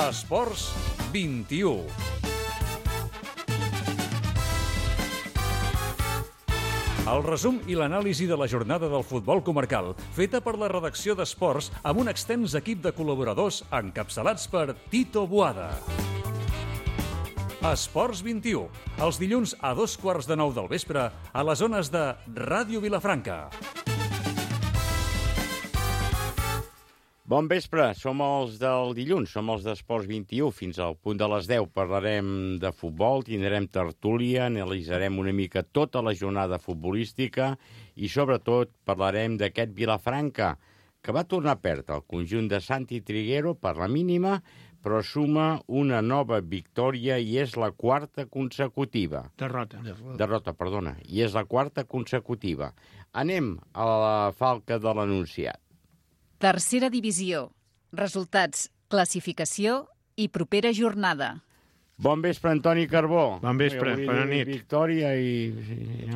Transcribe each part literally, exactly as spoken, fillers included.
Esports vint-i-u. El resum i l'anàlisi de la jornada del futbol comarcal, feta per la redacció d'Esports amb un extens equip de col·laboradors encapçalats per Tito Boada. Esports vint-i-u, els dilluns a dos quarts de nou del vespre a les zones de Ràdio Vilafranca. Bon vespre, som els del dilluns, som els d'Esports vint-i-u. Fins al punt de les deu parlarem de futbol, tindrem tertúlia, analitzarem una mica tota la jornada futbolística i sobretot parlarem d'aquest Vilafranca, que va tornar a perdre el conjunt de Santi Triguero per la mínima, però suma una nova victòria i és la quarta consecutiva. Derrota. Derrota, perdona. I és la quarta consecutiva. Anem a la falca de l'enunciat. Tercera divisió. Resultats, classificació i propera jornada. Bon vespre, Antoni Carbó. Bon vespre, bona nit. Victòria i...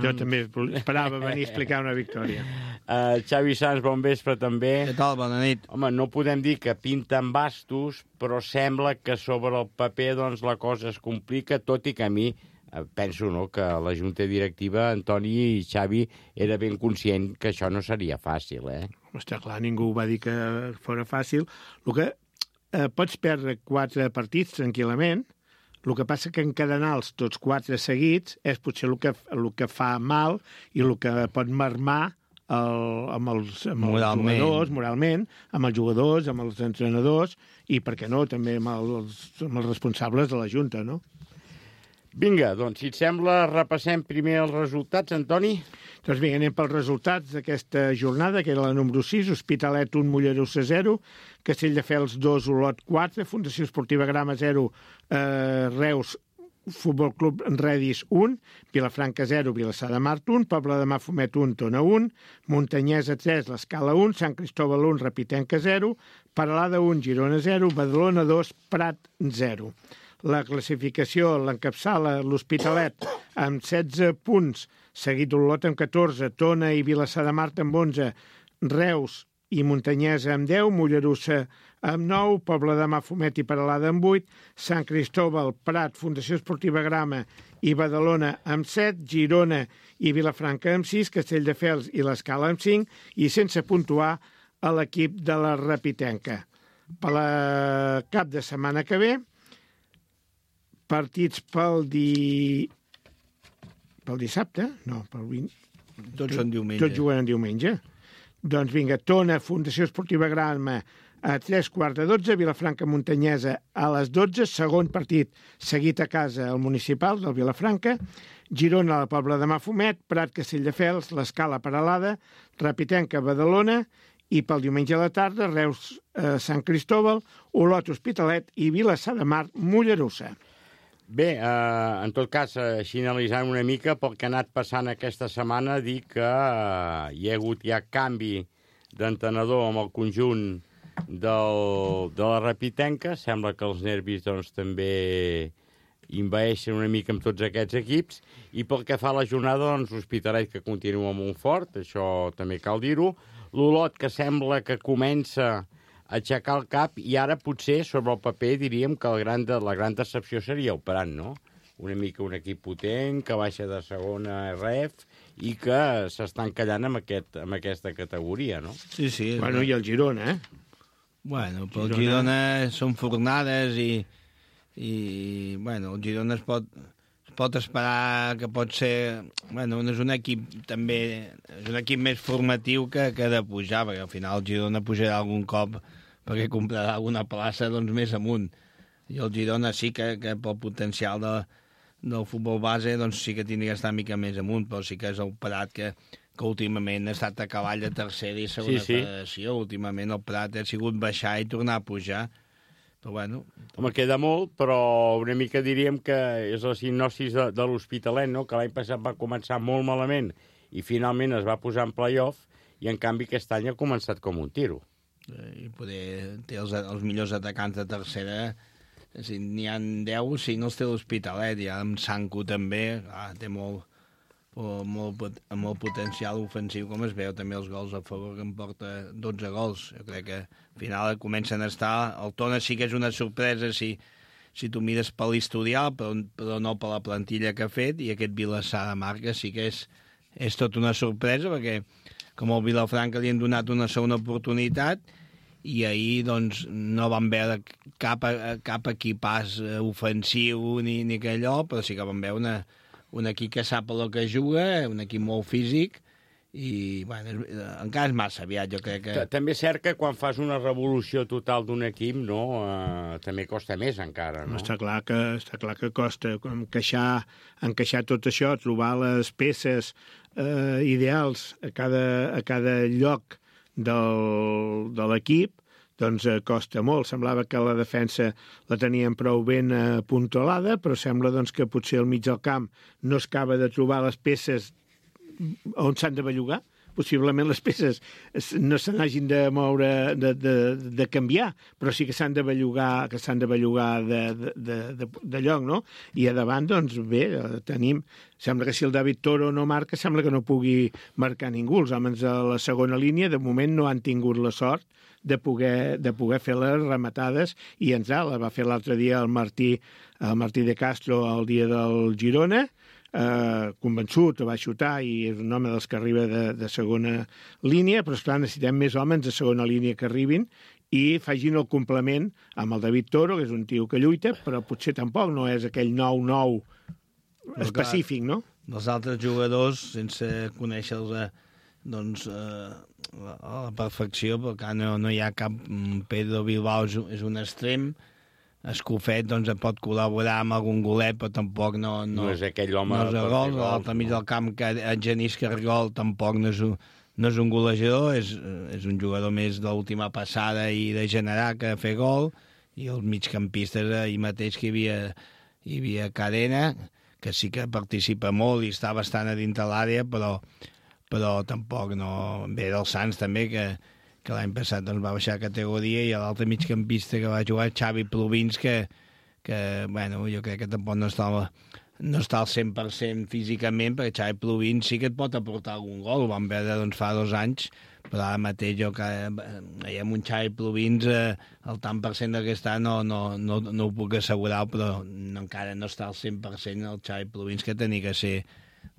Jo també esperava venir a explicar una victòria. Uh, Xavi Sans, bon vespre també. Què tal? Bona nit. Home, no podem dir que pinten bastos, però sembla que sobre el paper doncs, la cosa es complica, tot i que a mi eh, penso no, que la junta directiva, Antoni i Xavi, era ben conscient que això no seria fàcil, eh? Està clar, ningú va dir que fora fàcil. El que eh, pots perdre quatre partits tranquil·lament, el que passa que encadenar-los tots quatre seguits és potser el que, el que fa mal i el que pot marmar el, amb els, amb els jugadors, moralment, amb els jugadors, amb els entrenadors i, per què no, també amb els, amb els responsables de la Junta, no? Vinga, doncs, si et sembla, repassem primer els resultats, Antoni. Doncs vinga, anem pels resultats d'aquesta jornada, que era la número sis, Hospitalet un, Mollerussa zero, Castelldefels dos, Olot quatre, Fundació Esportiva Grama zero, eh, Reus Futbol Club Redis un, Vilafranca zero, Vilassar de Mar un, Pobla de Mafumet un, Tona un, Muntanyesa tres, l'Escala un, Sant Cristóbal un, Repitenca zero, Peralada un, Girona zero, Badalona dos, Prat zero. La classificació l'encapçala l'Hospitalet amb setze punts, seguit Olot amb catorze, Tona i Vilassar de Mar amb onze, Reus i Muntanyesa amb deu, Mollerussa amb nou, Pobla de Mafumet i Peralada amb vuit, Sant Cristóbal, Prat, Fundació Esportiva Grama i Badalona amb set, Girona i Vilafranca amb sis, Castelldefels i l'Escala amb cinc i sense puntuar a l'equip de la Repitenca. Per la cap de setmana que ve, partits pel di... pel dissabte? No, pel vint... Tots són diumenge. Tots juguen en diumenge. Doncs vinga, Tona, Fundació Esportiva Grama, a tres quarts de dotze, Vilafranca Muntanyesa a les dotze, segon partit seguit a casa al municipal del Vilafranca, Girona a la Pobla de Mafumet, Prat Castelldefels, l'Escala Peralada, Repitenca Badalona i pel diumenge a la tarda, Reus eh, Sant Cristóbal, Olot Hospitalet i Vilassar de Mar Mollerussa. Bé, eh, en tot cas, així analitzant una mica pel que ha anat passant aquesta setmana, dir que eh, hi ha hagut ja canvi d'entenedor amb el conjunt del, de la Repitenca. Sembla que els nervis doncs, també invaeixen una mica amb tots aquests equips. I pel que fa a la jornada, doncs, l'Hospitalet que continua molt fort, això també cal dir-ho. L'Olot que sembla que comença aixecar el cap i ara potser sobre el paper diríem que el gran de, la gran decepció seria el Prat, no? Una mica un equip potent que baixa de segona ref i que s'està encallant amb, aquest, amb aquesta categoria, no? Sí, sí. Bueno, i el Girona, eh? Bueno, però el Girona són fornades i, i bueno, el Girona es pot, es pot esperar que pot ser... Bueno, és un equip també... És un equip més formatiu que, que de pujar, perquè al final el Girona pujarà algun cop perquè comprarà alguna plaça doncs, més amunt. I el Girona sí que, que pel potencial de, del futbol base doncs, sí que tindria que estar una mica més amunt, però sí que és el Prat que, que últimament ha estat a cavall de tercera i segona sí, sí. federació. Últimament el Prat ha sigut baixar i tornar a pujar. Però bueno... Home, queda molt, però una mica diríem que és la sinopsis de, de l'Hospitalet, no? Que l'any passat va començar molt malament i finalment es va posar en play-off i en canvi aquest any ha començat com un tiro. I poder té els, els millors atacants de tercera, si n'hi ha deu, cinc els té l'Hospitalet, i amb Sanco també, ah, té molt, molt, amb molt potencial ofensiu, com es veu també els gols a favor, que em porta dotze gols. Jo crec que al final comencen a estar... El Tona sí que és una sorpresa si, si tu mires per l'historial, però, però no per la plantilla que ha fet, i aquest Vilassar de Marca sí que és, és tot una sorpresa, perquè com el Vilafranca li han donat una segona oportunitat, i ahir doncs, no vam veure cap, cap equipàs ofensiu ni, ni que allò, però sí que vam veure una, un equip que sap el que juga, un equip molt físic, i bueno, encara és massa aviat, jo crec que... També és cert que quan fas una revolució total d'un equip, no, eh, també costa més encara, no? Està clar que, està clar que costa encaixar, encaixar tot això, trobar les peces eh, ideals a cada, a cada lloc del, de l'equip, doncs eh, costa molt. Semblava que la defensa la tenien prou ben apuntolada, però sembla doncs, que potser al mig del camp no es acaba de trobar les peces on s'han de bellugar. Possiblement les peces no se n'hagin de moure, de, de, de canviar, però sí que s'han de bellugar, que s'han de bellugar de, de, de, de lloc, no? I a davant, doncs, bé, tenim... Sembla que si el David Toro no marca, sembla que no pugui marcar ningú. Els homes de la segona línia, de moment, no han tingut la sort de poder, de poder fer les rematades i entrar. La va fer l'altre dia el Martí, el Martí de Castro el dia del Girona, eh, convençut, va xutar i és un home dels que arriba de, de segona línia, però esclar, necessitem més homes de segona línia que arribin i facin el complement amb el David Toro, que és un tio que lluita, però potser tampoc no és aquell nou nou específic, no? Els altres jugadors, sense conèixer-los doncs, eh, a la perfecció, perquè no, no hi ha cap... Pedro Bilbao és, és un extrem, Escofet doncs, pot col·laborar amb algun golet, però tampoc no... No, no és aquell home... No és el gol, a l'altre mig del camp, que en Genís Cargol tampoc no és un, no és un golejador, és, és un jugador més de l'última passada i de generar que fer gol, i els migcampistes ahir mateix que hi havia, hi havia Cadena, que sí que participa molt i està bastant a dintre l'àrea, però, però tampoc no... Ve dels Sants també, que, que l'any passat doncs, va baixar categoria, i l'altre migcampista que va jugar, Xavi Plovins, que, que bueno, jo crec que tampoc no està, no està al cent per cent físicament, perquè Xavi Plovins sí que et pot aportar algun gol, ho vam veure doncs, fa dos anys, però ara mateix jo que veiem un Xavi Plovins, eh, el tant per cent que està no, no, no, no ho puc assegurar, però no, encara no està al cent per cent el Xavi Plovins, que tenia que ser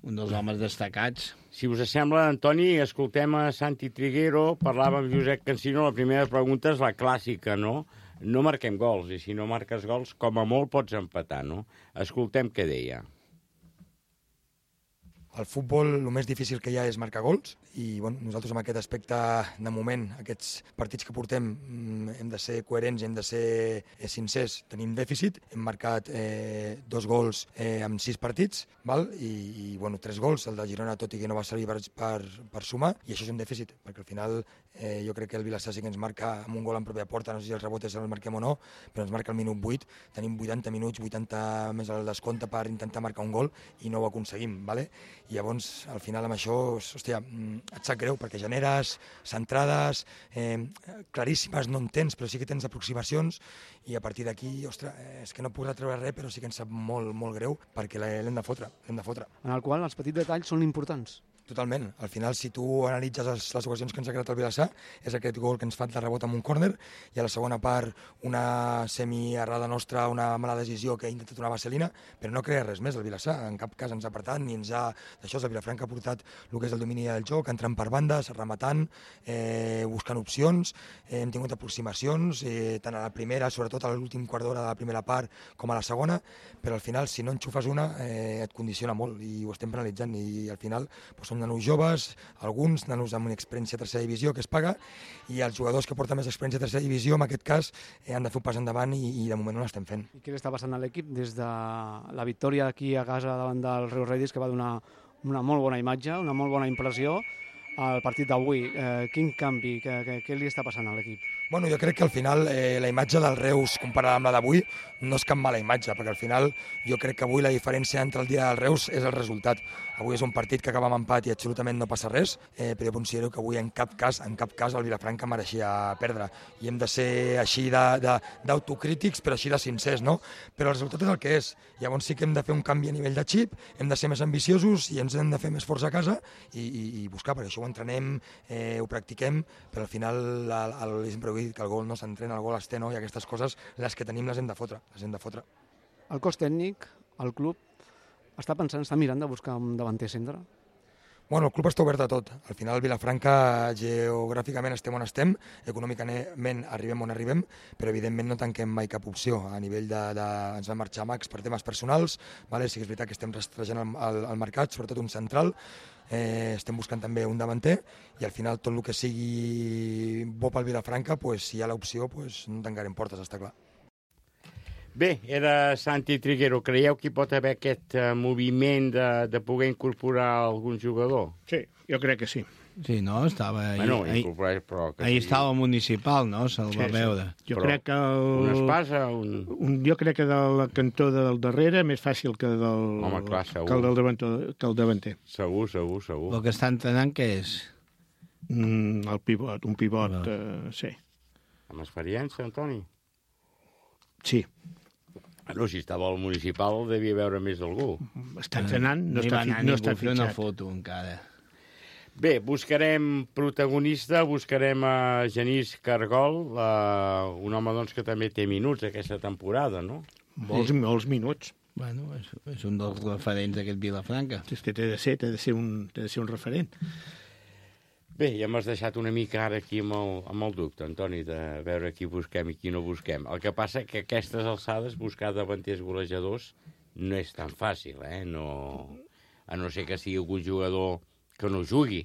un dels homes destacats. Si us sembla, Antoni, escoltem a Santi Triguero, parlava amb Josep Cancino, la primera pregunta és la clàssica, no? No marquem gols, i si no marques gols, com a molt pots empatar, no? Escoltem què deia. Al futbol el més difícil que hi ha és marcar gols i bueno, nosaltres en aquest aspecte, de moment, aquests partits que portem hem de ser coherents, hem de ser sincers, tenim dèficit, hem marcat eh, dos gols eh, en sis partits, val? I, i bueno, tres gols, el de Girona tot i que no va servir per, per, per sumar, i això és un dèficit, perquè al final eh, jo crec que el Vilassar sí que ens marca amb un gol en pròpia porta, no sé si el rebot és el marquem o no, però ens marca el minut vuit, tenim vuitanta minuts, vuitanta més al descompte per intentar marcar un gol i no ho aconseguim, vale? I llavors, al final, amb això, hòstia, et sap greu, perquè generes centrades eh, claríssimes, no en tens, però sí que tens aproximacions, i a partir d'aquí, ostres, és que no puc retreure res, però sí que ens sap molt, molt greu, perquè l'hem de fotre, l'hem de fotre. En el qual els petits detalls són importants. Totalment. Al final, si tu analitzes les, les ocasions que ens ha creat el Vilassar, és aquest gol que ens fa de rebot amb un córner, i a la segona part una semi-errada nostra, una mala decisió que ha intentat una vaselina, però no crea res més el Vilassar. En cap cas ens ha apretat, ni ens ha... D'això, el Vilafranca ha portat el que és el domini del joc, entrant per bandes, rematant, eh, buscant opcions, eh, hem tingut aproximacions, eh, tant a la primera, sobretot a l'últim quart d'hora de la primera part, com a la segona, però al final, si no enxufes una, eh, et condiciona molt, i ho estem penalitzant, i al final doncs, són nanos joves, alguns nanos amb una experiència a tercera divisió que es paga, i els jugadors que porten més experiència a tercera divisió, en aquest cas, eh, han de fer un pas endavant i, i de moment no l'estem fent. I què li està passant a l'equip des de la victòria aquí a casa davant del Reus Redis, que va donar una molt bona imatge, una molt bona impressió al partit d'avui? Eh, quin canvi, què, què, què li està passant a l'equip? Bueno, jo crec que al final eh, la imatge del Reus comparada amb la d'avui no és cap mala imatge, perquè al final jo crec que avui la diferència entre el dia del Reus és el resultat. Avui és un partit que acaba amb empat i absolutament no passa res, eh, però jo considero que avui en cap cas, en cap cas el Vilafranca mereixia perdre. I hem de ser així d'autocrítics, però així de sincers, no? Però el resultat és el que és. Llavors sí que hem de fer un canvi a nivell de xip, hem de ser més ambiciosos i ens hem de fer més força a casa i, i, i buscar, perquè això ho entrenem, eh, ho practiquem, però al final el, el, sempre ho he dit, que el gol no s'entrena, el gol es té, no? I aquestes coses, les que tenim les hem de fotre, les hem de fotre. El cos tècnic, el club, està pensant, està mirant de buscar un davanter centre? Bueno, el club està obert a tot. Al final, Vilafranca, geogràficament estem on estem, econòmicament arribem on arribem, però evidentment no tanquem mai cap opció. A nivell de... de ens vam marxar a Max per temes personals, vale? Sí que és veritat que estem rastrejant el, el, el mercat, sobretot un central, eh, estem buscant també un davanter, i al final tot el que sigui bo pel Vilafranca, pues, si hi ha l'opció, pues, no tancarem portes, està clar. Bé, era Santi Triguero. Creieu que hi pot haver aquest uh, moviment de, de poder incorporar algun jugador? Sí, jo crec que sí. Sí, no? Estava ahir, Bueno, ahir, incorporar, però... Que ahir sí. estava al municipal, no? Se'l va Sí, sí. veure. Jo Però crec que el... Una espasa, un... un... Jo crec que de la cantó del darrere més fàcil que del, Home, clar, segur. que el del davanter, que el davanter. Segur, segur, segur. El que està entrenant, què és? Mm, el pivot, un pivot, No. eh, sí. Amb experiència, Antoni? Sí, No, si estava al municipal devia veure més algú. està entrenant, no, no hi està, va fi... anar no ningú està a fer una fitxat. foto encara. Bé, buscarem protagonista, buscarem a Genís Cargol, uh, un home doncs, que també té minuts aquesta temporada, no? Molts, molts minuts. Bueno, és, és un dels referents d'aquest Vilafranca. És que té de ser, té de ser un, té de ser un referent. Bé, ja m'has deixat una mica ara aquí amb el, amb el dubte, Antoni, de veure qui busquem i qui no busquem. El que passa que a aquestes alçades buscar davanters golejadors no és tan fàcil, eh? No, a no ser que sigui algun jugador que no jugui,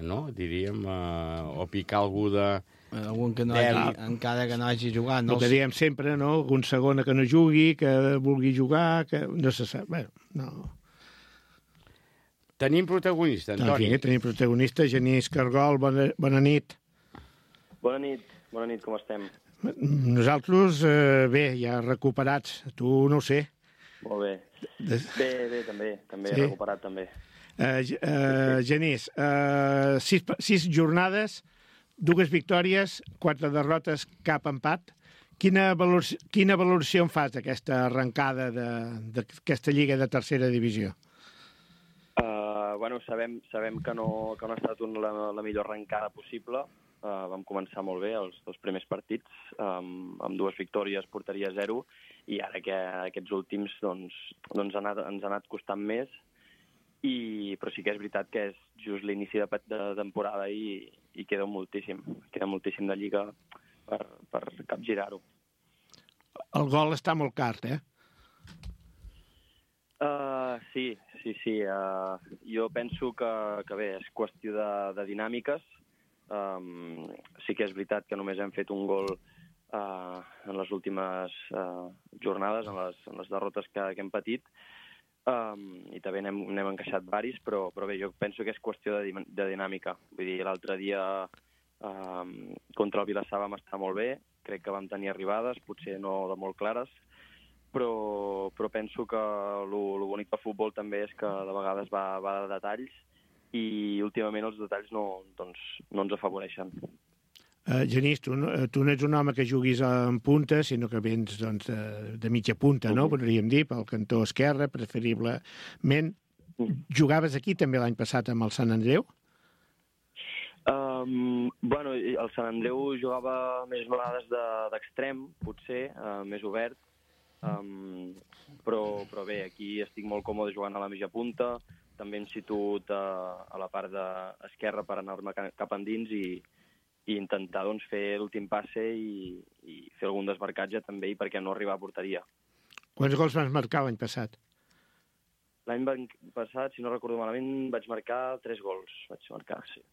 no? Diríem, eh, o picar algú de... Algun que no hagi, encara que no hagi jugat. No El que diem sempre, no? Algun segona que no jugui, que vulgui jugar, que no se sap. Bé, no... Tenim protagonista, Antoni. Aquí tenim protagonista, Genís Cargol, bona, bona nit. Bona nit, bona nit, com estem? Nosaltres, eh, bé, ja recuperats. Tu no ho sé. Molt bé. Des... Bé, bé, també, també, Sí? recuperat també. Eh, eh, Genís, eh, sis, sis jornades, dues victòries, quatre derrotes, cap empat. Quina valoració, quina valoració en fas d'aquesta arrencada d'aquesta lliga de tercera divisió? Uh, bueno, sabem, sabem que, no, que no ha estat un, la, la millor arrencada possible. Uh, vam començar molt bé els dos primers partits, um, amb dues victòries, porteria zero, i ara que aquests últims doncs, doncs ha anat, ens ha anat costant més, i, però sí que és veritat que és just l'inici de, de temporada i, i queda moltíssim, queda moltíssim de lliga per, per capgirar-ho. El gol està molt car, eh? Uh, sí, sí, sí. Uh, jo penso que, que bé, és qüestió de, de dinàmiques. Um, sí que és veritat que només hem fet un gol uh, en les últimes uh, jornades, en les, en les derrotes que, que hem patit, um, i també n'hem, n'hem encaixat varis, però, però bé, jo penso que és qüestió de, de dinàmica. Vull dir, l'altre dia um, contra el Vilassar vam estar molt bé, crec que vam tenir arribades, potser no de molt clares, però, però penso que el bonic del futbol també és que de vegades va, va de detalls, i últimament els detalls no, doncs, no ens afavoreixen. Uh, Genís, tu, no, tu no ets un home que juguis en punta, sinó que vens doncs, de, de mitja punta, no? Podríem dir, pel cantó esquerre, preferiblement. Jugaves aquí també l'any passat amb el Sant Andreu? Um, bueno, el Sant Andreu jugava més vegades d'extrem, potser, uh, més obert, um, però, però bé, aquí estic molt còmode jugant a la mitja punta, també em situat a, a la part esquerra per anar-me cap endins i, i intentar doncs, fer l'últim passe i, i fer algun desmarcatge també, i perquè no arribar a porteria. Quants gols vas marcar l'any passat? L'any passat, si no recordo malament, vaig marcar tres gols, vaig marcar, sí,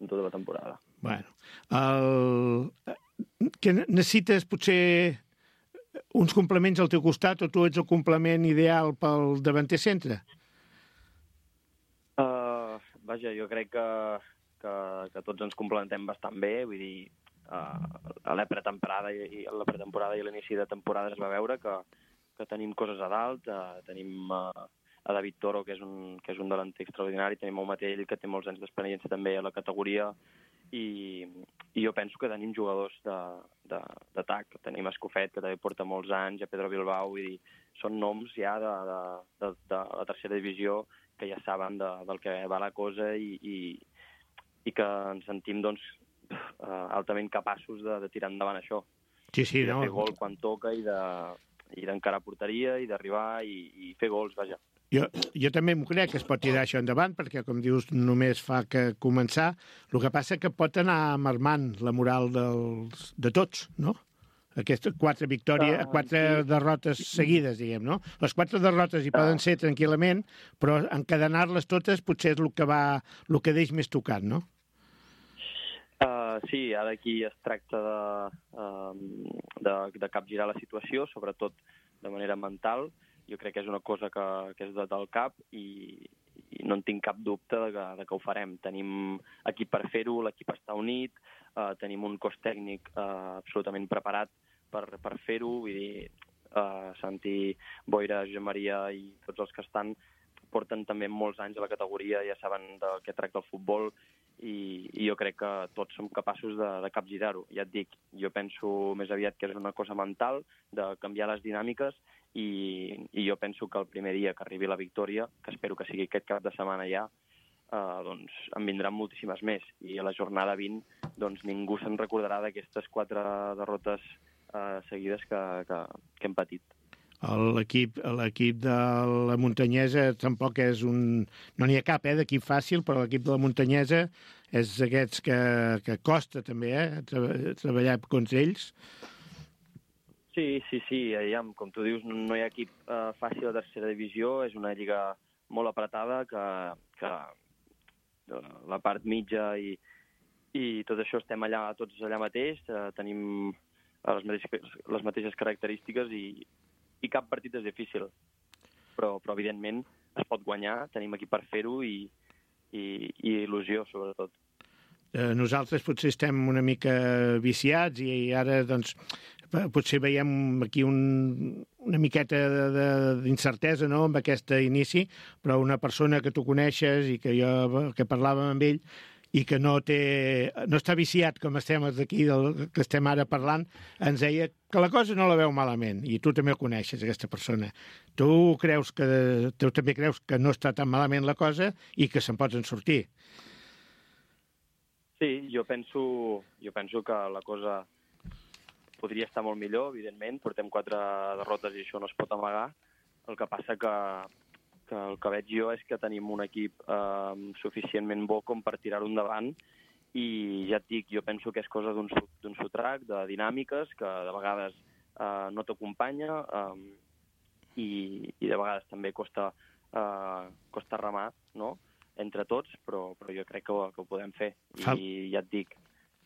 en tota la temporada. Bueno, el... que necessites potser uns complements al teu costat, o tu ets el complement ideal pel davanter centre? Uh, vaja, jo crec que, que, que tots ens complementem bastant bé, vull dir, a la pretemporada i, la pretemporada i l'inici de temporada es va veure que, que tenim coses a dalt, uh, tenim uh, a David Toro, que és un, que és un delanter extraordinari, tenim el Matell, que té molts anys d'experiència també a la categoria, i, i jo penso que tenim jugadors d'atac. Tenim Escofet, que també porta molts anys, a Pedro Bilbao, i són noms ja de, de, de, de la tercera divisió que ja saben de, del que va la cosa i, i, i que ens sentim doncs, altament capaços de, de tirar endavant això. Sí, sí, I de no. fer gol quan toca i de i d'encarar porteria i d'arribar i, i fer gols, vaja. Jo, jo també m'ho crec que es pot tirar això endavant, perquè, com dius, només fa que començar. El que passa que pot anar marmant la moral dels, de tots, no? Aquestes quatre victòries, uh, quatre sí. derrotes seguides, diguem, no? Les quatre derrotes hi uh. poden ser tranquil·lament, però encadenar-les totes potser és el que va, el que deix més tocat, no? Uh, sí, ara aquí es tracta de, uh, de, de capgirar la situació, sobretot de manera mental. Jo crec que és una cosa que, que és de, del cap i, i no en tinc cap dubte de que, de que ho farem. Tenim equip per fer-ho, l'equip està unit, uh, tenim un cos tècnic uh, absolutament preparat per, per fer-ho, vull dir, uh, Santi, Boira, Josep Maria i tots els que estan porten també molts anys a la categoria, ja saben de què tracta el futbol, i, i jo crec que tots som capaços de, de capgirar-ho. Ja et dic, jo penso més aviat que és una cosa mental, de canviar les dinàmiques, i, i jo penso que el primer dia que arribi la victòria, que espero que sigui aquest cap de setmana ja, eh, doncs en vindran moltíssimes més. I a la jornada vint doncs ningú se'n recordarà d'aquestes quatre derrotes eh, seguides que, que, que hem patit. L'equip l'equip de la Muntanyesa tampoc és un... No n'hi ha cap, eh, d'equip fàcil, però l'equip de la Muntanyesa és d'aquests que, que costa també, eh, tra- treballar contra ells. Sí, sí, sí, aviam, com tu dius, no hi ha equip eh, fàcil a tercera divisió, és una lliga molt apretada que, que la part mitja i, i tot això estem allà, tots allà mateix, eh, tenim les mateixes, les mateixes característiques i i cap partit és difícil, però, però evidentment es pot guanyar, tenim aquí per fer-ho i, i, i il·lusió, sobretot. Eh, nosaltres potser estem una mica viciats i ara doncs, potser veiem aquí un, una miqueta d'incertesa, no?, amb aquest inici, però una persona que tu coneixes i que jo que parlàvem amb ell i que no té, no està viciat com estem aquí, del que estem ara parlant, ens deia que la cosa no la veu malament, i tu també el coneixes, aquesta persona. Tu creus que, tu també creus que no està tan malament la cosa i que se'n poden sortir. Sí, jo penso, jo penso que la cosa podria estar molt millor, evidentment. Portem quatre derrotes i això no es pot amagar. El que passa que que el que veig jo és que tenim un equip eh, suficientment bo com per tirar-ho endavant i ja et dic, jo penso que és cosa d'un d'un sotrac, de dinàmiques, que de vegades eh, no t'acompanya eh, i, i de vegades també costa, eh, costa remar, no?, entre tots, però, però jo crec que ho, que ho podem fer. I ja et dic,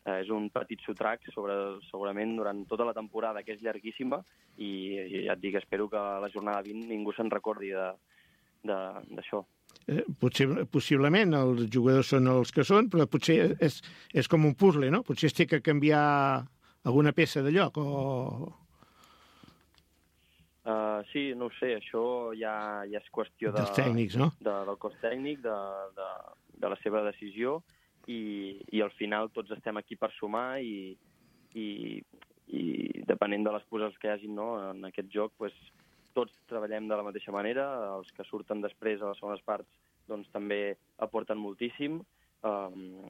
eh, és un petit sotrac sobre, segurament durant tota la temporada, que és llarguíssima, i, i ja et dic, espero que a la jornada vint ningú se'n recordi de d'això. Eh, potser, possiblement els jugadors són els que són, però potser és, és com un puzzle, no? Potser es té que canviar alguna peça de lloc, o... Uh, sí, no ho sé, això ja, ja és qüestió de, dels tècnics, no? De, del cos tècnic, de, de, de la seva decisió, i, i al final tots estem aquí per sumar i, i, i depenent de les poses que hi hagin, no?, en aquest joc, pues, tots treballem de la mateixa manera, els que surten després a les segones parts doncs també aporten moltíssim, um,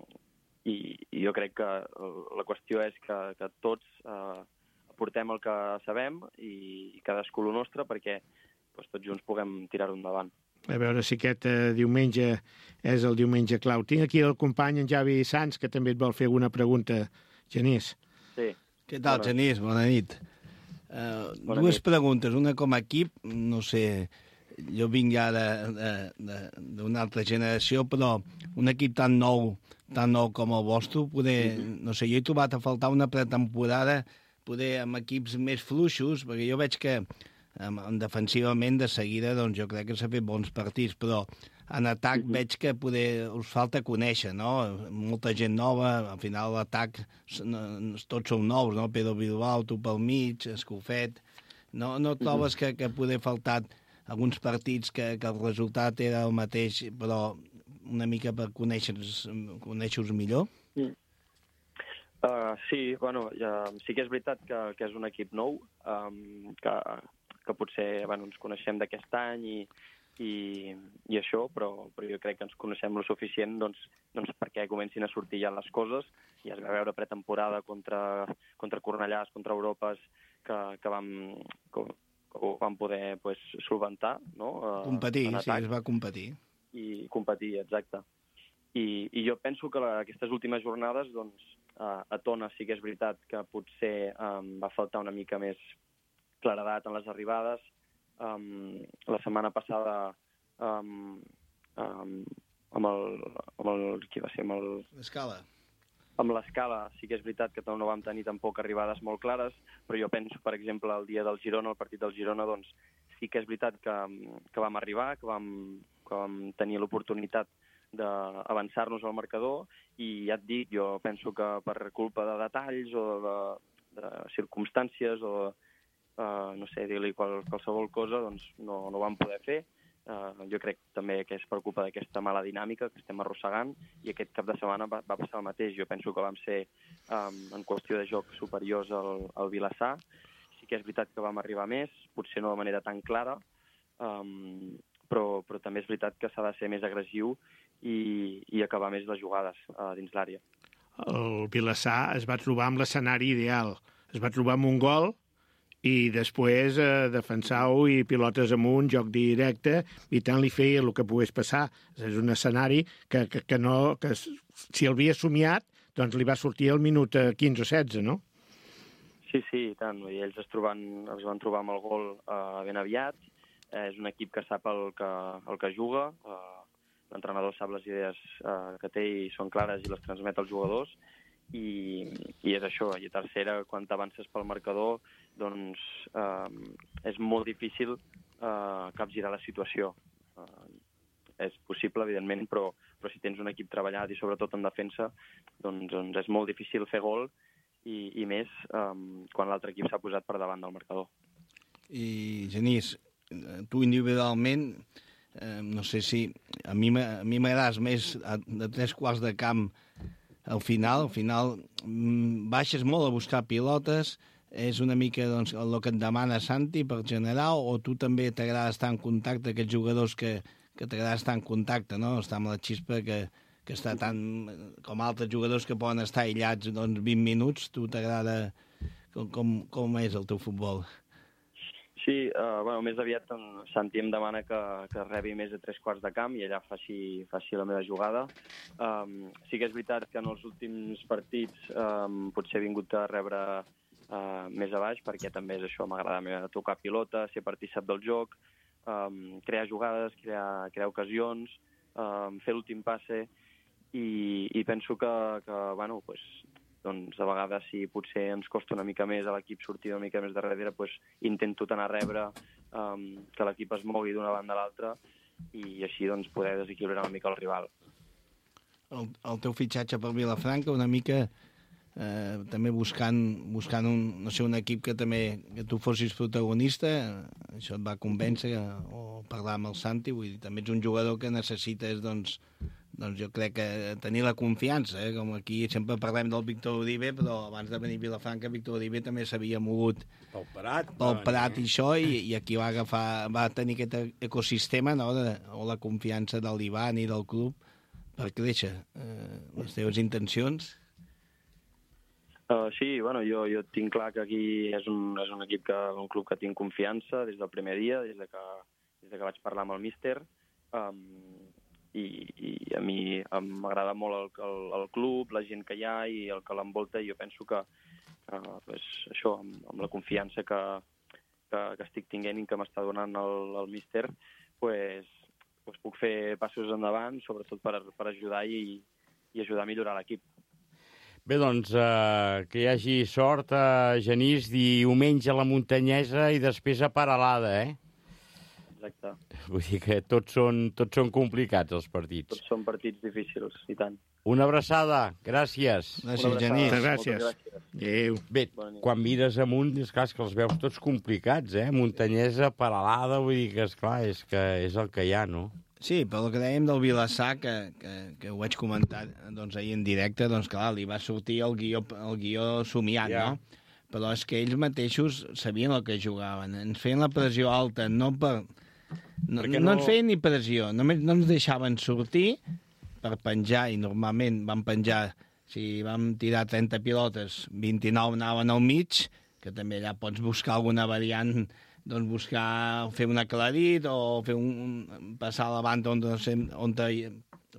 i, i jo crec que la qüestió és que, que tots uh, aportem el que sabem i, i cadascú el nostre perquè doncs, tots junts puguem tirar-ho endavant. A veure si aquest eh, diumenge és el diumenge clau. Tinc aquí el company en Javi Sanz, que també et vol fer alguna pregunta. Genís. Sí. Què tal, bona. Genís? Bona nit. Uh, dues nit. Preguntes, una com a equip, no sé, jo vinc ja d'una altra generació, però un equip tan nou, tan nou com el vostre, poder, mm-hmm. no sé, jo he trobat a faltar una pretemporada, poder amb equips més fluixos, perquè jo veig que um, defensivament de seguida doncs jo crec que s'ha fet bons partits, però en atac mm-hmm. veig que poder, us falta conèixer, no? Molta gent nova, al final l'atac tots són nous, no? Pedro Bilbao, tu pel mig, Escofet... No, no trobes mm-hmm. que, que poder faltar alguns partits que, que el resultat era el mateix, però una mica per conèixer-vos conèixer millor? Mm. Uh, sí, bueno, ja, sí que és veritat que, que és un equip nou, um, que, que potser bueno, ens coneixem d'aquest any i, i, i això, però, però jo crec que ens coneixem lo suficient doncs, doncs perquè comencin a sortir ja les coses. Ja es va veure pretemporada contra, contra Cornellàs, contra Europes, que, que, vam, que, que ho vam poder pues, solventar. No? Uh, competir, sí, es va competir. I competir, exacte. I, i jo penso que la, aquestes últimes jornades, doncs, uh, a Tona sí que és veritat que potser um, va faltar una mica més claredat en les arribades. Um, la setmana passada um, um, amb el... Amb el qui va ser? Amb el... L'escala. Amb l'escala sí que és veritat que no vam tenir tampoc arribades molt clares, però jo penso, per exemple, el dia del Girona, el partit del Girona, doncs sí que és veritat que, que vam arribar, que vam, que vam tenir l'oportunitat d'avançar-nos al marcador i ja et dic, jo penso que per culpa de detalls o de, de circumstàncies o uh, no sé, dir-li qual, qualsevol cosa, doncs no, no ho vam poder fer. Uh, jo crec també que és per culpa d'aquesta mala dinàmica que estem arrossegant i aquest cap de setmana va, va passar el mateix. Jo penso que vam ser um, en qüestió de joc superiors al, al Vilassar. Sí que és veritat que vam arribar més, potser no de manera tan clara, um, però, però també és veritat que s'ha de ser més agressiu i, i acabar més les jugades uh, dins l'àrea. El Vilassar es va trobar amb l'escenari ideal. Es va trobar amb un gol i després eh, defensar-ho i pilotes amunt, joc directe, i tant li feia el que pogués passar. És un escenari que, que, que, no, que si el havia somiat, doncs li va sortir al minut quinze o setze, no? Sí, sí, i tant. I ells es, troben, es van trobar amb el gol eh, ben aviat. Eh, és un equip que sap el que, el que juga. Eh, L'entrenador sap les idees eh, que té i són clares i les transmet als jugadors. I, i és això. I a tercera, quan t'avances pel marcador, doncs eh, és molt difícil eh, capgirar la situació. Eh, és possible, evidentment, però, però si tens un equip treballat i sobretot en defensa, doncs, doncs és molt difícil fer gol i, i més eh, quan l'altre equip s'ha posat per davant del marcador. I, Genís, tu individualment, eh, no sé si a mi m'agrades més de tres quarts de camp al final, al final baixes molt a buscar pilotes, és una mica doncs, el que et demana Santi per generar, o tu també t'agrada estar en contacte, aquests jugadors que, que t'agrada estar en contacte, no? Estar amb la xispa que, que està tan... com altres jugadors que poden estar aïllats doncs, vint minuts, tu t'agrada... Com, com, com és el teu futbol? Sí, uh, bueno, més aviat en Santi em demana que, que rebi més de tres quarts de camp i allà faci, faci la meva jugada. Um, sí que és veritat que en els últims partits um, potser he vingut a rebre uh, més a baix, perquè també és això, m'agrada tocar pilota, ser partícip del joc, um, crear jugades, crear, crear ocasions, um, fer l'últim passe, i, i penso que, que bueno, pues, doncs a vegades si potser ens costa una mica més a l'equip sortir una mica més de darrere, doncs intento anar a rebre, um, que l'equip es mogui d'una banda a l'altra i així doncs poder desequilibrar una mica el rival. El, el teu fitxatge per Vilafranca una mica eh, també buscant, buscant un, no sé, un equip que també que tu fossis protagonista, això et va convèncer o parlar amb el Santi, vull dir, també ets un jugador que necessites doncs doncs jo crec que tenir la confiança, eh? Com aquí sempre parlem del Víctor Uribe, però abans de venir a Vilafranca, Víctor Uribe també s'havia mogut pel Prat, pel Prat i això, i, i aquí va agafar, va tenir aquest ecosistema, no?, de, o la confiança de l'Ivan i del club per créixer. Eh, les teves intencions? Uh, sí, bueno, jo, jo tinc clar que aquí és un, és un equip, que, un club que tinc confiança des del primer dia, des de que, des de que vaig parlar amb el míster. Um, I, i a mi m'agrada molt el, el, el club, la gent que hi ha i el que l'envolta, i jo penso que uh, pues, això, amb, amb la confiança que, que, que estic tinguent i que m'està donant el, el míster, pues, pues puc fer passos endavant, sobretot per, per ajudar i, i ajudar a millorar l'equip. Bé, doncs, eh, que hi hagi sort, eh, Genís, diumenge a la Muntanyesa i després a Paralada, eh? exacte. Vull dir que tots són, tots són complicats, els partits. Tots són partits difícils, i tant. Una abraçada, gràcies. Gràcies, Genís. Moltes gràcies. gràcies. Adéu. Bé, quan mires amunt, és clar, és que els veus tots complicats, eh? Muntanyesa, Peralada, vull dir que, esclar, és que és el que hi ha, no? Sí, però el que dèiem del Vilassar, que, que, que ho vaig comentar doncs, ahir en directe, doncs clar, li va sortir el guió, el guió somiat, Ja. no? Però és que ells mateixos sabien el que jugaven. Ens feien la pressió alta, no per... No, no... no- no ens feien ni pressió, només no ens deixaven sortir per penjar, i normalment vam penjar, si vam tirar trenta pilotes, vint-i-nou anaven al mig, que també allà pots buscar alguna variant, doncs buscar, fer un aclarit o fer un, passar a la banda on, on te,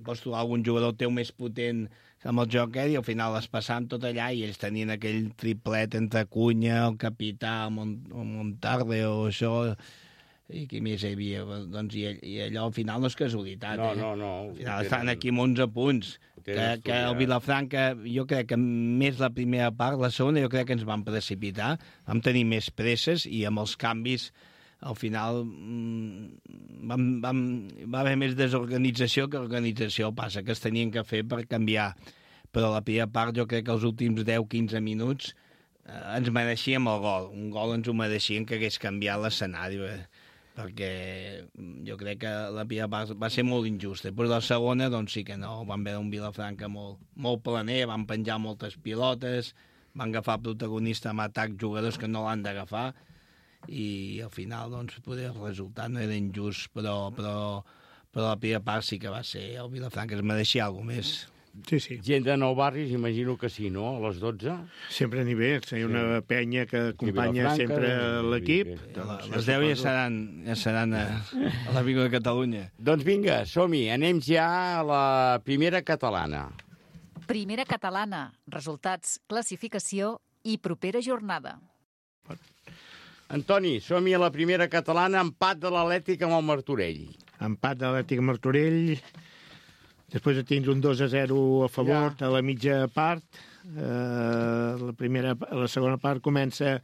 pots trobar algun jugador teu més potent amb el joc, eh? I al final es passàvem tot allà i ells tenien aquell triplet entre Cunha, el capità, el Mont el Montarde o això, i qui més hi havia? Doncs, i, i allò al final no és casualitat. No, eh? no, no. Al final estan aquí amb onze punts. Que, que el Vilafranca, jo crec que més la primera part, la segona jo crec que ens vam precipitar, vam tenir més presses i amb els canvis al final vam, vam, va haver més desorganització que organització, passa que es tenien que fer per canviar. Però la primera part jo crec que els últims deu quinze minuts eh, ens mereixíem el gol. Un gol ens ho mereixíem que hagués canviat l'escenari, eh? Perquè jo crec que la primera part va ser molt injusta. Després la segona, doncs sí que no, vam veure un Vilafranca molt, molt planer, van penjar moltes pilotes, van agafar protagonista amb atac jugadors que no l'han d'agafar, i al final, doncs, poder el resultat no era injust, però, però, però la primera part sí que va ser el Vilafranca, es mereixia alguna més. Sí, sí. Gent de Nou Barris, imagino que sí, no? A les dotze? Sempre a nivell, hi ha una penya que acompanya Vilafranca, sempre l'equip. i- Doncs, Les deu ja seran, ja seran a, a la Vigo de Catalunya. Doncs vinga, som-hi, anem ja a la primera catalana. Primera catalana. Resultats, classificació i propera jornada. Antoni, som-hi a la primera catalana, empat de l'Atlètic amb el Martorell. Empat de l'Atlètic Martorell, després de tindre un dos a zero a favor Ja. a la mitja part. Eh, la, primera, la segona part comença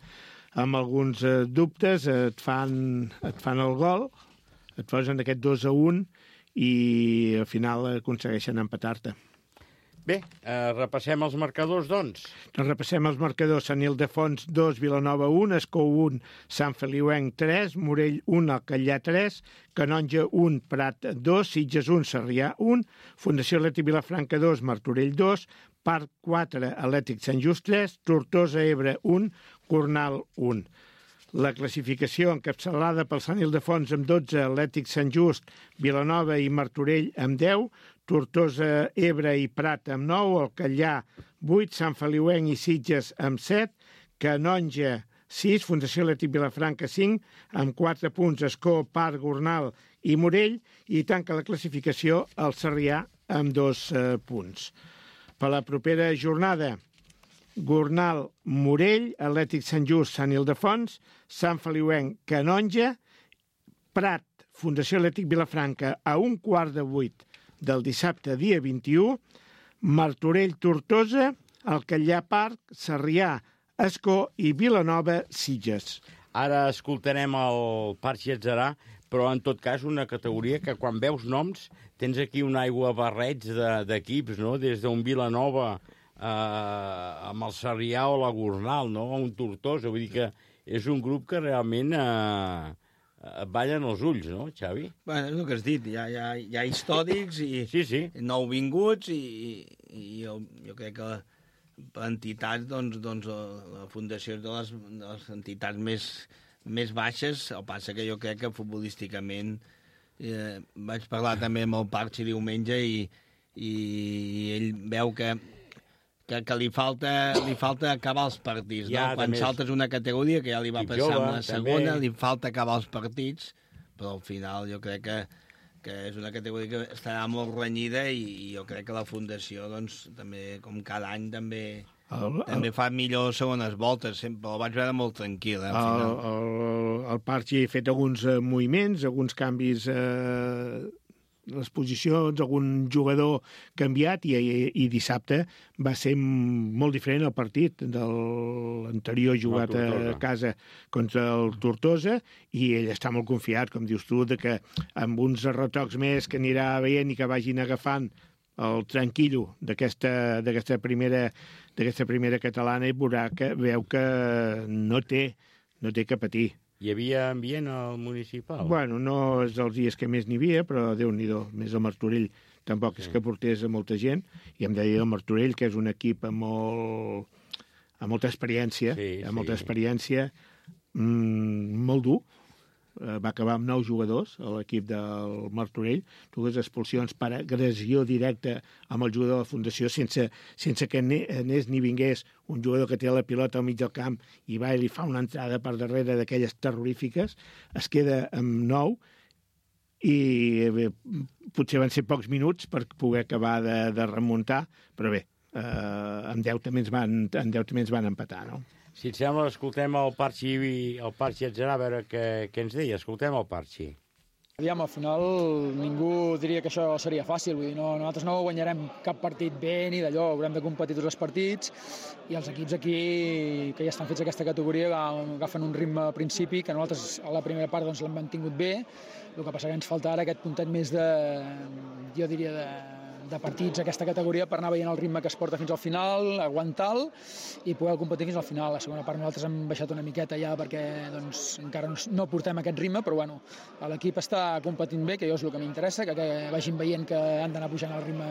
amb alguns eh, dubtes, et fan, et fan el gol, et posen aquest dos a un i al final aconsegueixen empatar-te. Bé, eh, repassem els marcadors, doncs. Doncs repassem els marcadors. Sant Ildefons dos, Vilanova un, Escó un, Sant Feliuenc tres, Morell un, Alcallà tres, Canonja un, Prat dos, Sitges un, Sarrià un, Fundació Atlètic Vilafranca dos, Martorell dos, Parc quatre, Atlètic Sant Just tres, Tortosa Ebre un, Cornal un. La classificació encapçalada pel Sant Ildefons amb dotze, Atlètic Sant Just, Vilanova i Martorell amb deu, Tortosa, Ebre i Prat amb nou, Alcallà vuit, Sant Feliuenc i Sitges amb set, Canonja sis, Fundació Atlètic Vilafranca cinc, amb quatre punts Escó, Parc, Gornal i Morell, i tanca la classificació el Sarrià amb dos eh, punts. Per la propera jornada, Gornal, Morell, Atlètic Sant Just, Sant Ildefons, Sant Feliuenc, Canonja, Prat, Fundació Atlètic Vilafranca a un quart de vuit del dissabte dia vint-i-u, Martorell, Tortosa, Alcallà, Parc, Sarrià, Escó i Vilanova, Sitges. Ara escoltarem el Parc Getzerà, però en tot cas una categoria que quan veus noms tens aquí un aigua barreig d'equips, no? Des d'un Vilanova eh, amb el Sarrià o la Gornal, no? Un Tortosa, vull dir que és un grup que realment eh, et ballen els ulls, no, Xavi? Bueno, és el que has dit, hi ha, hi ha, hi ha històrics i sí, sí. nouvinguts i, i jo, jo crec que per entitats, doncs, doncs la fundació és de les, de les entitats més, més baixes, el passa que jo crec que futbolísticament eh, vaig parlar també amb el Parchi diumenge i, i ell veu que que, que li, falta, li falta acabar els partits, ja, no? Quan també saltes una categoria que ja li va Equip passar jove, amb la segona, també. li falta acabar els partits, però al final jo crec que, que és una categoria que estarà molt renyida i, i jo crec que la Fundació, doncs, també, com cada any, també, El, també fa millor segones voltes, sempre el vaig veure molt tranquil, eh, al el, final. el, el Parchi ha fet alguns eh, moviments, alguns canvis eh, les posicions, algun jugador canviat, i, i, i dissabte va ser molt diferent el partit de l'anterior jugat a casa contra el Tortosa, i ell està molt confiat, com dius tu, de que amb uns retocs més que anirà veient i que vagin agafant el tranquil·lo d'aquesta d'aquesta primera, d'aquesta primera catalana, i veurà que veu que no té, no té que patir. Hi havia ambient al municipal? Bueno, no és dels dies que més n'hi havia, però Déu-n'hi-do, més el Martorell tampoc és que portés a molta gent, i em deia el Martorell, que és un equip amb, molt, amb molta experiència, sí, amb molta sí. experiència, mmm, molt dur. Va acabar amb nou jugadors a l'equip del Martorell, dues expulsions per agressió directa amb el jugador de la Fundació, sense, sense que anés ni vingués un jugador que té la pilota al mig del camp i va i li fa una entrada per darrere d'aquelles terrorífiques. Es queda amb nou, i bé, potser van ser pocs minuts per poder acabar de, de remuntar, però bé, eh, amb deu també ens van, amb deu també ens van empatar, no? Si et sembla, escoltem el Parxi, el Parxi Atzerà, a veure què, què ens deia. Escoltem el Parxi. Aviam, al final ningú diria que això seria fàcil, vull dir, no, nosaltres no guanyarem cap partit bé ni d'allò, haurem de competir tots els partits, i els equips aquí que ja estan fets aquesta categoria agafen un ritme al principi, que nosaltres a la primera part doncs, l'hem mantingut bé, el que passa que ens falta ara aquest puntet més de, jo diria, de de partits a aquesta categoria per anar veient el ritme que es porta fins al final, aguantar-lo i poder competir fins al final. La segona part nosaltres hem baixat una miqueta ja perquè doncs, encara no, no portem aquest ritme, però bueno, l'equip està competint bé, que jo és el que m'interessa, que, que vagin veient que han d'anar pujant el ritme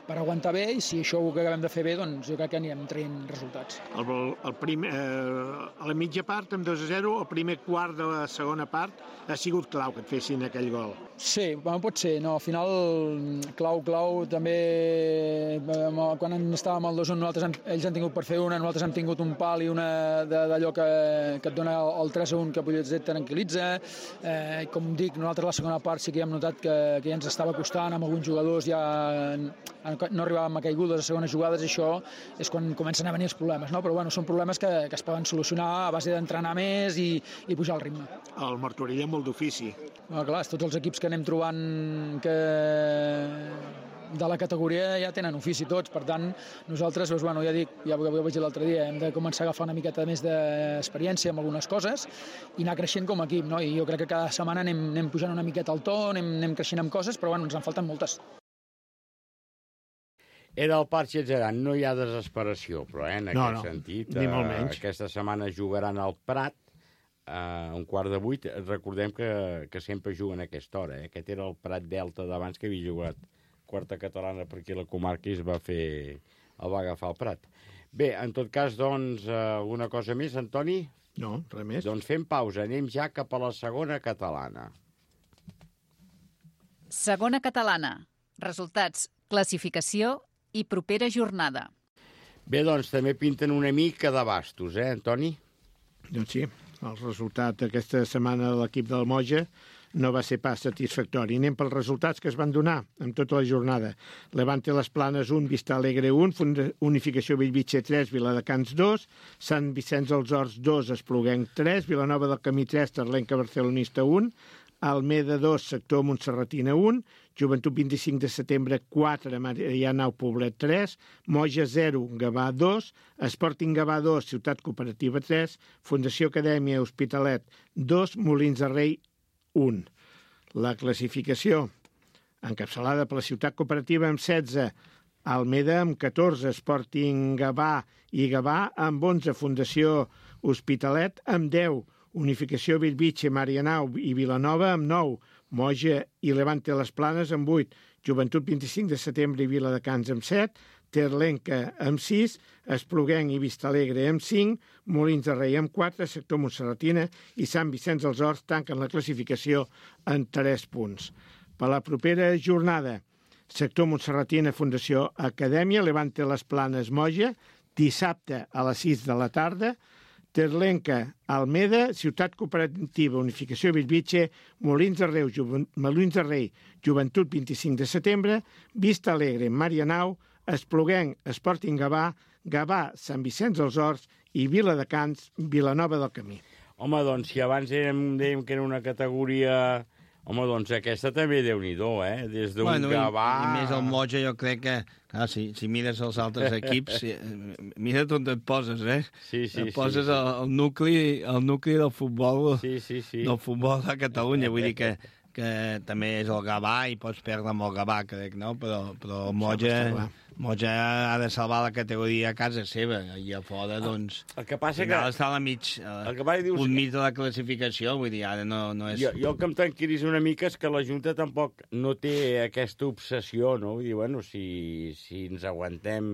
per aguantar bé, i si això ho acabem de fer bé, doncs jo crec que anirem traient resultats. El, el primer, eh, a la mitja part, amb dos a zero, el primer quart de la segona part ha sigut clau que et fessin aquell gol. Sí, bueno, pot ser. No, al final, clau, clau, també quan estàvem al dos a un, nosaltres hem, ells han tingut per fer una, nosaltres hem tingut un pal i una d'allò que, que et dona el tres a un que potser et tranquil·litza. Eh, com dic, nosaltres la segona part sí que hem notat que, que ja ens estava costant, amb alguns jugadors ja no arribàvem a caigudes a segones jugades, i això és quan comencen a venir els problemes, no? Però bueno, són problemes que, que es poden solucionar a base d'entrenar més i, i pujar el ritme. El Martorell és molt d'ofici. Bueno, clar, tots els equips que anem trobant que de la categoria ja tenen ofici tots, per tant nosaltres, doncs, bueno, ja dic, ja ho vaig dir l'altre dia, hem de començar a agafar una miqueta més d'experiència en algunes coses i anar creixent com a equip, no? I jo crec que cada setmana anem, anem pujant una miqueta al to, anem, anem creixent amb coses, però bueno, ens en falten moltes. Era el Parxi Atzerà, no hi ha desesperació, però eh, en no, aquest no, sentit, ni molt menys. Eh, aquesta setmana jugaran al Prat, a un quart de vuit. Recordem que, que sempre juguen a aquesta hora. Eh? Aquest era el Prat Delta d'abans, que havia jugat quarta catalana per aquí a la comarca, i es va fer, el va agafar el Prat. Bé, en tot cas, doncs, alguna cosa més, Antoni? No, res més. Doncs fem pausa, anem ja cap a la segona catalana. Segona catalana. Resultats, classificació i propera jornada. Bé, doncs, també pinten una mica de bastos, eh, Antoni? Doncs sí, el resultat aquesta setmana de l'equip del Moja no va ser pas satisfactori. Anem pels resultats que es van donar en tota la jornada. Levante Les Planes un, Vista Alegre un, Unificació Bellvitge tres, Viladecans dos, Sant Vicenç dels Horts dos, Espluguenc tres, Vilanova del Camí tres, Terlenca Barcelonista un, Almeda dos, Sector Montserratina un, Joventut vint-i-cinc de setembre quatre, Marianao Poblet tres, Moja zero, Gavà dos, Sporting Gavà dos, Ciutat Cooperativa tres, Fundació Acadèmia Hospitalet dos, Molins de Rei un. La classificació, encapçalada per la Ciutat Cooperativa amb setze, Almeda amb catorze, Sporting Gavà i Gavà amb onze, Fundació Hospitalet amb deu, Unificació Bellvitge, Marianao i Vilanova amb nou, Moja i Levante Les Planes amb vuit, Joventut vint-i-cinc de setembre i Viladecans amb set, Terlenca amb sis, Espluguenc i Vistalegre amb cinc, Molins de Rei amb quatre, Sector Montserratina i Sant Vicenç dels Horts tanquen la classificació en tres punts. Per la propera jornada, Sector Montserratina, Fundació Acadèmia, Levante Les Planes, Moja, dissabte a les sis de la tarda, Terlenca, Almeda, Ciutat Cooperativa, Unificació Bellvitge, Molins de Rei, Molins de Rei, Joventut vint-i-cinc de setembre, Vista Alegre, Marianao, Espluguenc, Sporting Gavà, Gavà, Sant Vicenç dels Horts i Viladecans, Vilanova del Camí. Home, doncs, si abans érem, dèiem que era una categoria Home, doncs aquesta també Déu-n'hi-do, eh? Des d'un bueno, Gavà... I, I més el Moja, jo crec que... Clar, si, si mires els altres equips, si, mira on et poses, eh? Sí, sí, et poses sí, sí. El, el, nucli, el nucli del futbol, sí, sí, sí. del futbol a Catalunya. Vull dir que, que també és el Gavà i pots perdre amb el Gavà, crec, no? Però, però el Moja... Moja ha de salvar la categoria a casa seva i a fora, doncs... El que passa que... està a la mig, a el que passa dius... un mig de la classificació, vull dir, ara no, no és... Jo, jo el que em tranquil·litza una mica és que la Junta tampoc no té aquesta obsessió, no? Vull dir, bueno, si, si ens aguantem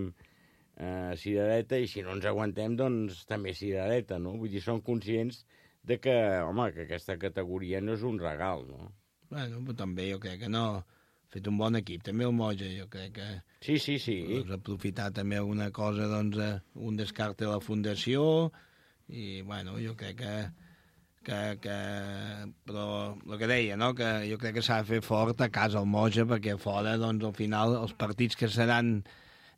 eh, cirereta i si no ens aguantem, doncs també cirereta, no? Vull dir, són conscients de que, home, que aquesta categoria no és un regal, no? Bueno, però també jo crec que no... Ha fet un bon equip, també el Moja, jo crec que... Sí, sí, sí. Doncs aprofitar també alguna cosa, doncs, un descarte de la fundació, i, bueno, jo crec que... que, que però el que deia, no?, que jo crec que s'ha de fer fort a casa el Moja, perquè fora, doncs, al final, els partits que seran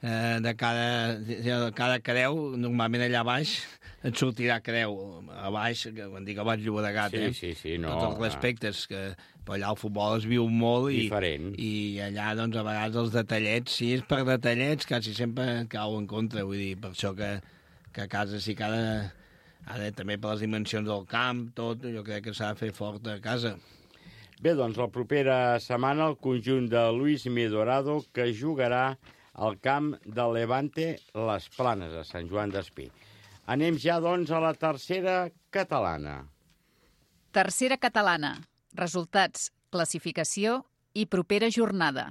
eh, de cada, de cada creu, normalment allà baix et sortirà creu, a baix, quan dic a baix Llobregat, sí, eh? Sí, sí, no. Tots els respectes, que però allà el futbol es viu molt i, diferent. I allà, doncs, a vegades els detallets, si és per detallets, quasi sempre et cau en contra, vull dir, per això que, que a casa sí que ha de, ha de, també per les dimensions del camp, tot, jo crec que s'ha de fer fort a casa. Bé, doncs, la propera setmana el conjunt de Luis Midorado, que jugarà al camp de Levante Les Planes, a Sant Joan d'Espí. Anem ja, doncs, a la tercera catalana. Tercera catalana. Resultats, classificació i propera jornada.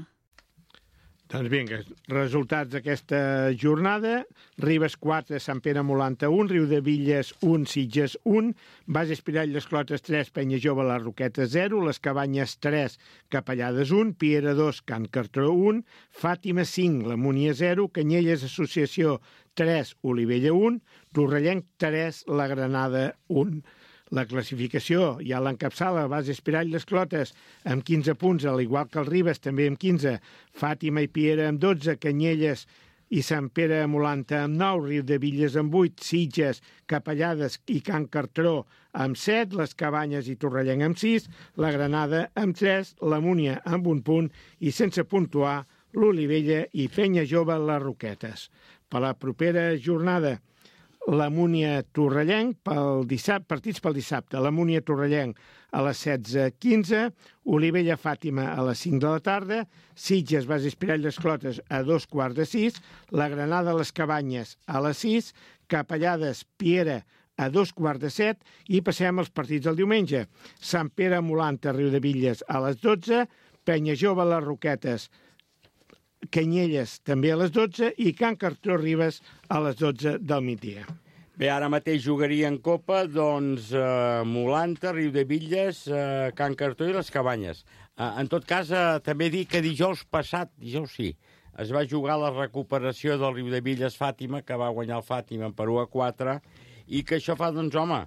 Doncs vinga, resultats d'aquesta jornada. Ribes quatre, Sant Pere Molanta un, Riudevilles un, Sitges un, Base Espirall Les Clotes tres, Penya Jove Les Roquetes zero, Les Cabanyes tres, Capellades un, Piera dos, Can Cartró un, Fàtima cinc, La Múnia zero, Canyelles Associació tres, Olivella un, Torrellenc tres, La Granada un. La classificació ja l'encapçala Base Espirall Les Clotes amb quinze punts, al igual que el Ribes, també amb quinze, Fàtima i Piera amb dotze, Canyelles i Sant Pere Molanta amb nou, Riudevilles amb vuit, Sitges, Capellades i Can Cartró amb set, Les Cabanyes i Torrellenc amb sis, La Granada amb tres, La Múnia amb un punt i sense puntuar l'Olivella i Penya Jove Les Roquetes. Per la propera jornada, la Múnia Torrellenc, pel dissabte, partits pel dissabte, la Múnia Torrellenc a les setze quinze, Olivella Fàtima a les cinc de la tarda, Sitges Base Espirall Les Clotes a dos quarts de sis, La Granada Les Cabanyes a les sis, Capellades Piera a dos quarts de set i passem als partits del diumenge. Sant Pere Molanta Riudevilles a les dotze, Penya Jove Les Roquetes, Canyelles també a les dotze i Can Cartró Ribes a les dotze del migdia. Bé, ara mateix jugaria en Copa, doncs, eh, Molanta, Riudevilles, eh, Can Cartró i Les Cabanyes. Eh, en tot cas, eh, també dic que dijous passat, dijous sí, es va jugar la recuperació del Riudevilles Fàtima, que va guanyar el Fàtima per u a quatre, i que això fa, doncs, home,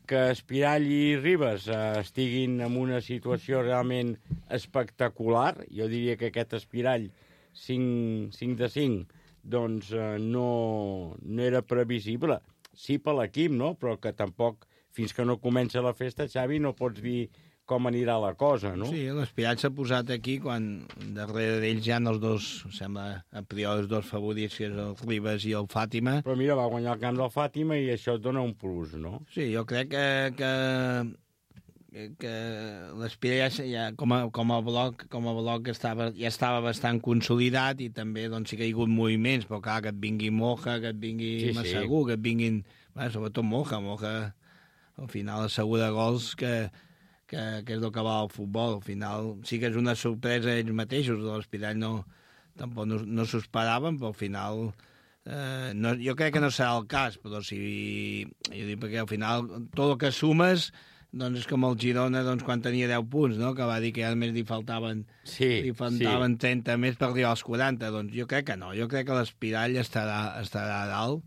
que Espirall i Ribes eh, estiguin en una situació realment espectacular. Jo diria que aquest Espirall cinc de cinc, doncs eh, no, no era previsible. Sí per l'equip, no? Però que tampoc, fins que no comença la festa, Xavi, no pots dir com anirà la cosa, no? Sí, l'Espirall s'ha posat aquí quan darrere d'ells hi ha els dos, sembla, a priori, els dos favorits, que és el Ribes i el Fàtima. Però mira, va guanyar el camp del Fàtima i això et dona un plus, no? Sí, jo crec que... que... que l'Espirall ja, ja, com, a, com a bloc, com a bloc estava, ja estava bastant consolidat i també doncs, sí que hi ha hagut moviments, però clar, que et vingui Moja, que et vingui sí, Massagú, sí. que et vinguin... Bé, sobretot Moja, Moja al final assegura gols que, que, que és el que va al futbol. Al final sí que és una sorpresa ells mateixos, l'Espirall no, tampoc no, no s'ho esperaven, però al final... Eh, no, jo crec que no serà el cas, però si... Jo dic perquè al final tot el que sumes... Doncs és com el Girona doncs, quan tenia deu punts, no? Que va dir que a més li faltaven, sí, li faltaven sí. trenta més per arribar als quaranta. Doncs jo crec que no, jo crec que l'Espirall estarà, estarà a dalt,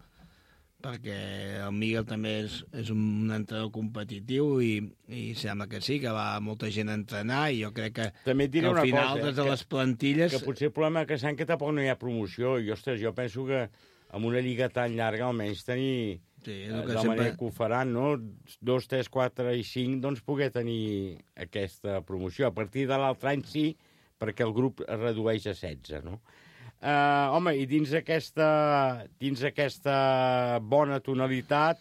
perquè el Miguel també és, és un entrenador competitiu i, i sembla que sí, que va molta gent a entrenar i jo crec que, també et diré que al una final cosa, des de que, les plantilles... Que potser el problema que saben que tampoc no hi ha promoció i, ostres, jo penso que amb una lliga tan llarga almenys tenir... Sí, de la sempre... manera que ho faran, no? Dos, tres, quatre i cinc, doncs poder tenir aquesta promoció. A partir de l'altre any sí, perquè el grup es redueix a setze, no? Uh, home, i dins aquesta, dins aquesta bona tonalitat,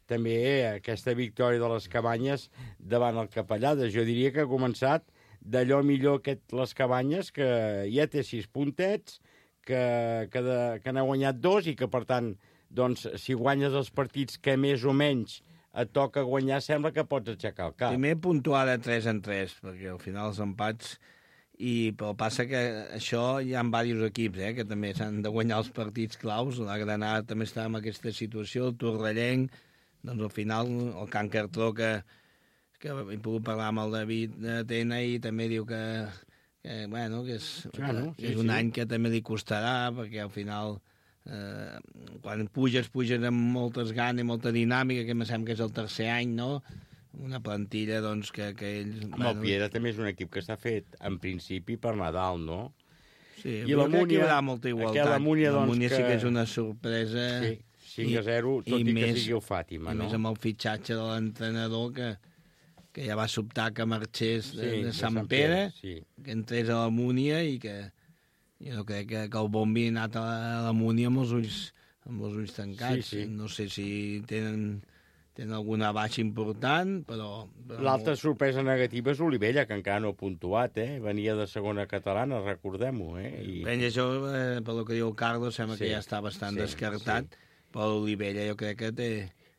també aquesta victòria de les Cabanyes davant el Capellades. Jo diria que ha començat d'allò millor aquest les Cabanyes, que ja té sis puntets, que, que, de, que n'ha guanyat dos i que, per tant, doncs, si guanyes els partits que més o menys et toca guanyar, sembla que pots aixecar el cap. Primer puntuar de tres en tres, perquè al final els empats... I, però passa que això hi ha diversos equips, eh, que també s'han de guanyar els partits claus. La Granada també està en aquesta situació, el Torrellenc, doncs al final el Can Cartró, que, que he pogut parlar amb el David de Tena i també diu que, que, bueno, que és, ja, no? que és sí, un sí. any que també li costarà, perquè al final eh, quan puges, puges amb moltes ganes, molta dinàmica, que em sembla que és el tercer any, no?, una plantilla, doncs, que, que ells... Amb el Piera també és un equip que està fet, en principi, per Nadal, no? Sí, I la Múnia... hi haurà molta igualtat. La Múnia, doncs, la Múnia que... sí que és una sorpresa... Sí, cinc a zero, tot i, i més, que sigui el Fàtima, i no? I més amb el fitxatge de l'entrenador, que, que ja va sobtar que marxés de, sí, de Sant, Sant Pere, Pere sí. que entrés a la Múnia i que... Jo crec que, que el Bombi ha anat a la, a la Múnia amb els ulls, amb els ulls tancats. Sí, sí. No sé si tenen... tenen alguna baixa important, però... però L'altra molt... sorpresa negativa és Olivella, que encara no ha puntuat, eh? Venia de segona catalana, recordem-ho, eh? I... Ben, això, eh, pel que diu el Carlos, sembla sí, que ja està bastant sí, descartat, sí. Però l'Olivella jo crec que té...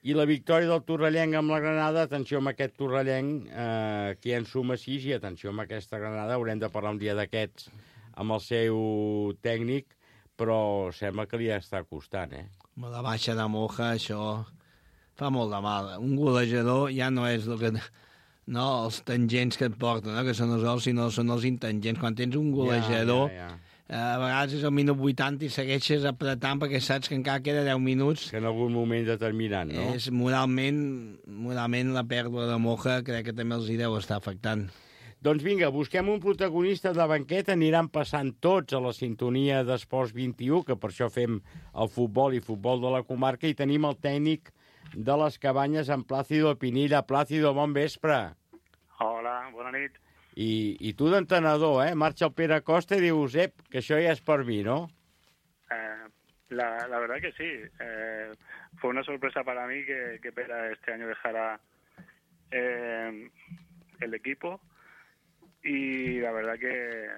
I la victòria del Torrellenc amb la Granada, atenció amb aquest Torrellenc, eh, que ja en suma sis, i atenció amb aquesta Granada, haurem de parlar un dia d'aquests amb el seu tècnic, però sembla que li està costant, eh? Amb la baixa de Moja, això... fa molt de mal. Un golejador ja no és el que... No, els tangents que et porten, no? Que són els gols, sinó són els intangents. Quan tens un golejador, ja, ja, ja. a vegades és el minut vuitanta i segueixes apretant perquè saps que encara queda deu minuts. Que en algun moment determinant, no? És moralment, moralment la pèrdua de Moja crec que també els hi deu estar afectant. Doncs vinga, busquem un protagonista de banqueta, aniran passant tots a la sintonia d'Esports vint-i-u, que per això fem el futbol i futbol de la comarca, i tenim el tècnic de les Cabanyes en Plàcido Pinilla. Plàcido, bon vespre. Hola, bona nit. I, i tu d'entrenador, eh? Marxa el Pere Costa i dius, ep, que això ja és per mi, ¿no? Eh, la, la verdad que sí. Eh, fue una sorpresa para mí que, que Pera este año dejara eh, el equipo. Y la verdad que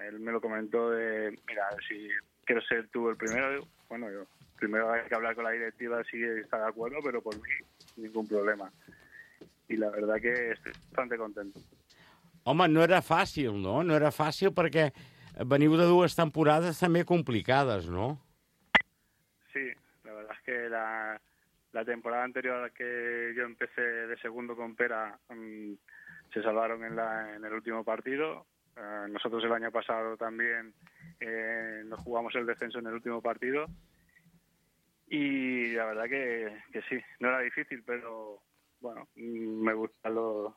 él me lo comentó de, mira, si quieres ser tú el primero, bueno, yo primero hay que hablar con la directiva si está de acuerdo, pero por mí ningún problema. Y la verdad que estoy bastante contento. Home, no era fàcil, no? No era fàcil perquè veniu de dues temporades també complicades, ¿no? Sí, la verdad es que la, la temporada anterior a la que yo empecé de segundo con Pera um, se salvaron en, la, en el último partido. Uh, nosotros el año pasado también eh, nos jugamos el descenso en el último partido. Y la verdad que, que sí, no era difícil, pero bueno, me gustan los,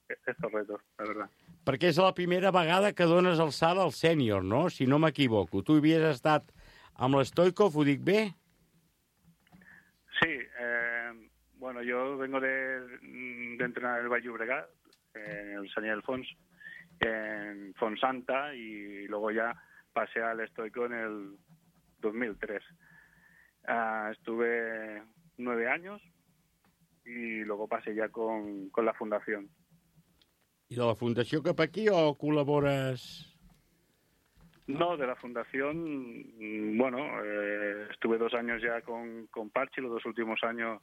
estos retos, la verdad. Perquè és la primera vegada que dones el salt al sènior, no? Si no m'equivoco. Tu havies estat amb l'Stoikov, ho dic bé? Sí, eh, bueno, yo vengo de, de entrenar el Valle Llobregat, en el Saniel Fons, en Fonsanta, y luego ya pasé al Stoikov en el dos mil tres. Uh, estuve nueve años y luego pasé ya con, con la fundación. ¿Y de la fundació cap aquí o col·labores? No, de la fundación, bueno, eh, estuve dos años ya con, con Parchi, los dos últimos años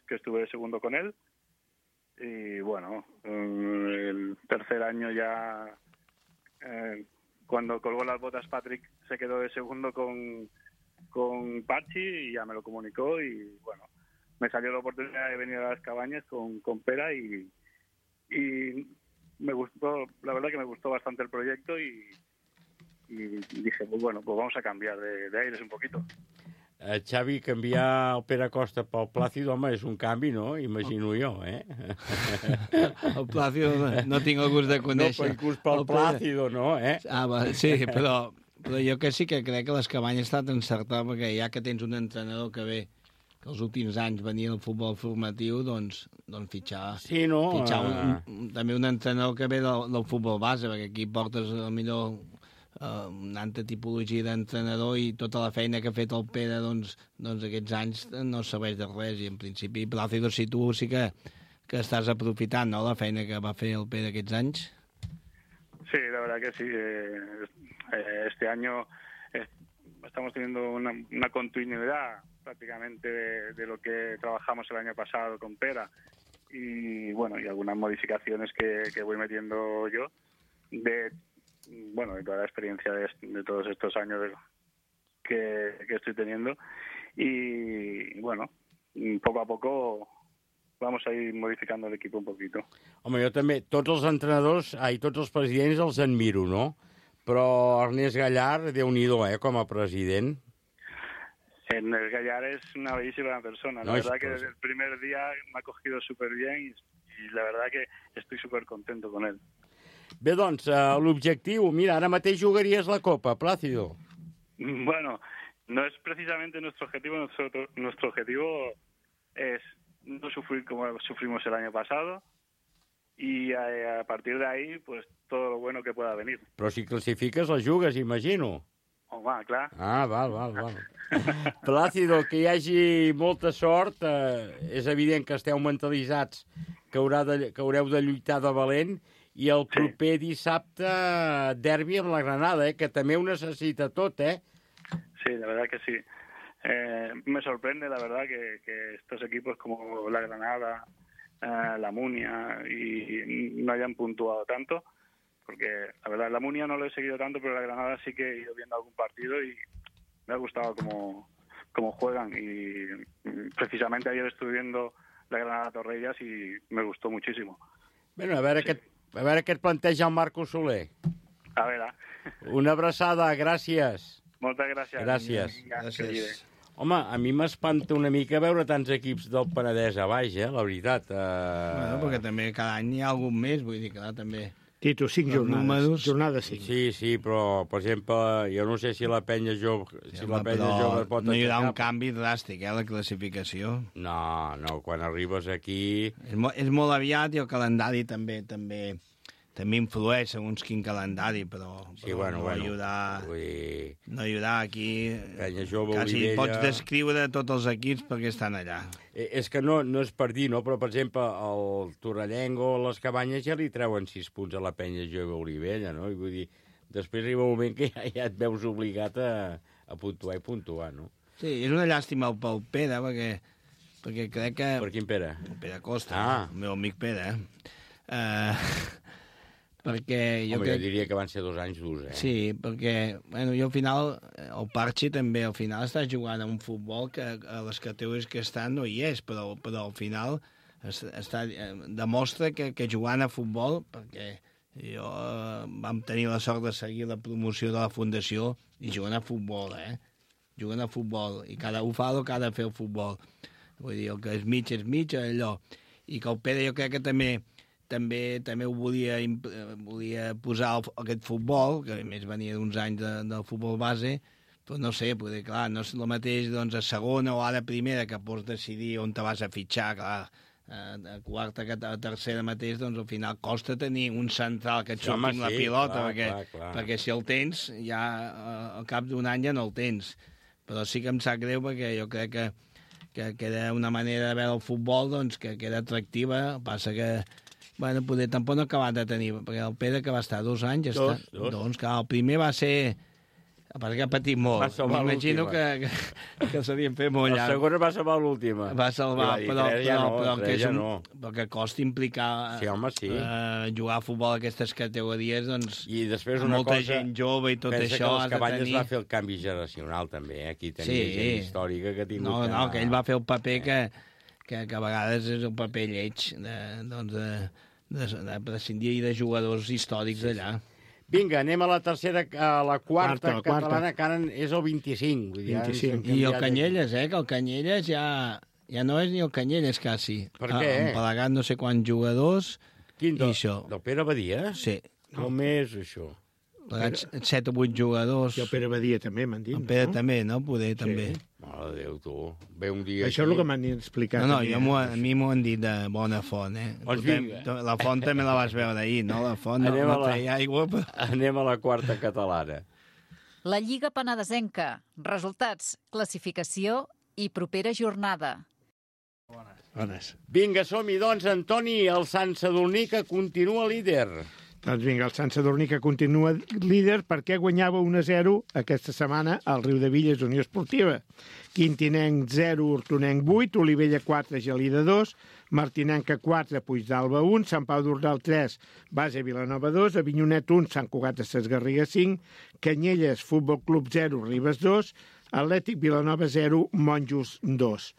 que estuve de segundo con él. Y bueno, el tercer año ya, eh, cuando colgó las botas Patrick, se quedó de segundo con, con Parchi y ya me lo comunicó. Y bueno, me salió la oportunidad de venir a las Cabañas con, con Pera y, y me gustó, la verdad que me gustó bastante el proyecto y, y dije, pues bueno, pues vamos a cambiar de, de aires un poquito. Uh, Xavi, canviar el Pere Costa pel Plàcido, home, és un canvi, no? Imagino jo, eh? El Plàcido no, no tinc el gust de conèixer. No, inclús pel Plàcido, no, eh? Ah, va, sí, però, però jo que sí que crec que les Cabanyes ha estat encertat, perquè ja que tens un entrenador que ve que els últims anys venia el futbol formatiu, doncs, doncs fitxar, sí, no? fitxar un, un, també un entrenador que ve del, del futbol base, perquè aquí portes a millor uh, una altra tipologia d'entrenador i tota la feina que ha fet el Pere doncs, doncs aquests anys no serveix de res, i en principi, Plácido, si tu sí que, que estàs aprofitant, no?, la feina que va fer el Pere aquests anys. Sí, la verdad que sí. Eh, este año eh, estamos teniendo una, una continuidad prácticamente de, de lo que trabajamos el año pasado con Pera, y bueno, y algunas modificaciones que, que voy metiendo yo de, bueno, de toda la experiencia de, de todos estos años de, que, que estoy teniendo, y bueno, poco a poco vamos a ir modificando el equipo un poquito. Home, jo també, tots els entrenadors, ai, tots els presidents els admiro, no? Però Ernest Gallard, Déu-n'hi-do, eh, com a president. Ernest Gallard es una bellísima persona. La no, verdad es, que desde el primer día me ha cogido súper bien y, y la verdad que estoy súper contento con él. Bé, doncs, uh, l'objectiu, mira, ara mateix jugaries la Copa, Plácido. Bueno, no es precisamente nuestro objetivo. Nuestro, nuestro objetivo es no sufrir como sufrimos el año pasado y a, a partir de ahí, pues, todo lo bueno que pueda venir. Però si classifiques, la jugues, imagino. Home, clar. Ah, val, val, val. Plácido, que hi hagi molta sort. Eh, és evident que esteu mentalitzats que, haurà de, que haureu de lluitar de valent, i el proper sí. dissabte derbi amb la Granada, eh, que també ho necessita tot, eh? Sí, la verdad que sí. Eh, me sorprende, la verdad, que, que estos equipos como la Granada, eh, la Munia, y no hayan puntuado tanto, porque la verdad la Munia no lo he seguido tanto, pero la Granada sí que he ido viendo algún partido y me ha gustado cómo, cómo juegan, y precisamente ayer estuve viendo la Granada Torrellas y me gustó muchísimo. Bueno, a veure, sí. què, a veure què et planteja el Marco Soler. A veure. Una abraçada, gràcies. Moltes gràcies. Gràcies. Gràcies. Home, a mi m'espanta una mica veure tants equips del Penedès a baix, eh, la veritat. Uh... Bueno, perquè també cada any hi ha algun més, vull dir que clar, també... Tito, cinc jornades. Números... Jornada cinc. Sí, sí, però, per exemple, jo no sé si la penya jove... Si sí, la penya jove pot no hi haurà un canvi dràstic, eh, la classificació. No, no, quan arribes aquí... És, mo és molt aviat, i el calendari també també també influeix segons quin calendari, però, sí, però bueno, no, bueno, ajudar, vull... no ajudar aquí... Penya jove, quasi Olivella... pots descriure tots els equips perquè estan allà. Eh, és que no, no és per dir, no? Però, per exemple, el Torrellenc o les Cabanyes ja li treuen sis punts a la penya jove Olivella, no? I vull dir, després arriba un moment que ja, ja et veus obligat a, a puntuar i puntuar, no? Sí, és una llàstima pel Pere, perquè, perquè crec que... Per quin Pere? El Pere Costa, ah. el meu amic Pere. Eh... Uh... perquè jo Home, crec... jo diria que van ser dos anys durs, eh? Sí, perquè, bueno, jo al final, el Parchi també, al final està jugant a un futbol que a les categories que estan no hi és, però, però al final està, demostra que, que jugant a futbol, perquè jo eh, vam tenir la sort de seguir la promoció de la Fundació i jugant a futbol, eh? Jugant a futbol, i cada un fa el que ha de fer el futbol. Vull dir, el que és mig és mig, allò. I que el Pere jo crec que també també també ho volia, volia posar el, aquest futbol, que a més venia d'uns anys de, del futbol base, però no sé, poder, clar, no és el mateix doncs, a segona o ara a primera, que pots decidir on te vas a fitxar, clar, a quarta, a tercera mateix, doncs al final costa tenir un central que et surti amb la pilota, clar, perquè, clar, clar. perquè si el tens, ja al cap d'un any ja no el tens. Però sí que em sap greu, perquè jo crec que, que, que era una manera de veure el futbol doncs, que, que era atractiva, passa que bueno, poder tampoc no ha acabat de tenir, perquè el Pere, que va estar dos anys, dos, està, dos. doncs, clar, el primer va ser... perquè ha patit molt. M'imagino que, que, que s'havien fet molt llarg. El segon va salvar l'última. Va salvar, dir, però, ja però, no, però, que és ja un, no. però que costa implicar sí, home, sí. eh, jugar a futbol a aquestes categories, doncs, i després una molta cosa, gent jove i tot pensa això... Pensa que les Cabanyes tenir... va fer el canvi generacional, també. Eh? Aquí tenia sí. gent històrica que ha tingut... No, no, que ell va fer el paper eh. que, que, que a vegades és un paper lleig, de, doncs, de, de, de prescindir de jugadors històrics d'allà. Vinga, anem a la tercera, a la quarta, quarta catalana, quarta. que ara és el vint-i-cinc. Vull dir, vint-i-cinc. I el Canyelles, eh, que el Canyelles ja, ja no és ni el Canyelles, quasi. Per què? Ha empalagat no sé quants jugadors. Quin, del, i això? Del Pere Badia? Sí. Com és això? plegats set o vuit jugadors. I el Pere Badia també, m'han dit, el Pere no? també, no? Poder, sí. també. Mare de Déu, tu. Ve un dia Això és el que m'han explicat. No, no, també, jo eh? a mi m'ho han dit de bona font, eh? Doncs Tu vinga. te- La font també la vas veure ahir, no? La font no, Anem a no la- treia aigua, però... Anem a la quarta catalana. La Lliga Penedesenca. Resultats, classificació i propera jornada. Bones. Vinga, som-hi, doncs, Antoni, el Sant Sadurní, que continua líder. Doncs vinga, el Sant Sadurní que continua líder perquè guanyava un a zero aquesta setmana al Riudevilles Unió Esportiva. Quintinenc zero, Hortonenc vuit, Olivella quatre, Gelida dos, Martinenca quatre, Puigdalba un, Sant Pau d'Ordal tres, Base Vilanova dos, Avinyonet un, Sant Cugat de Ses Garrigues cinc, Canyelles Futbol Club zero, Ribes dos, Atlètic Vilanova zero, Monjos dos.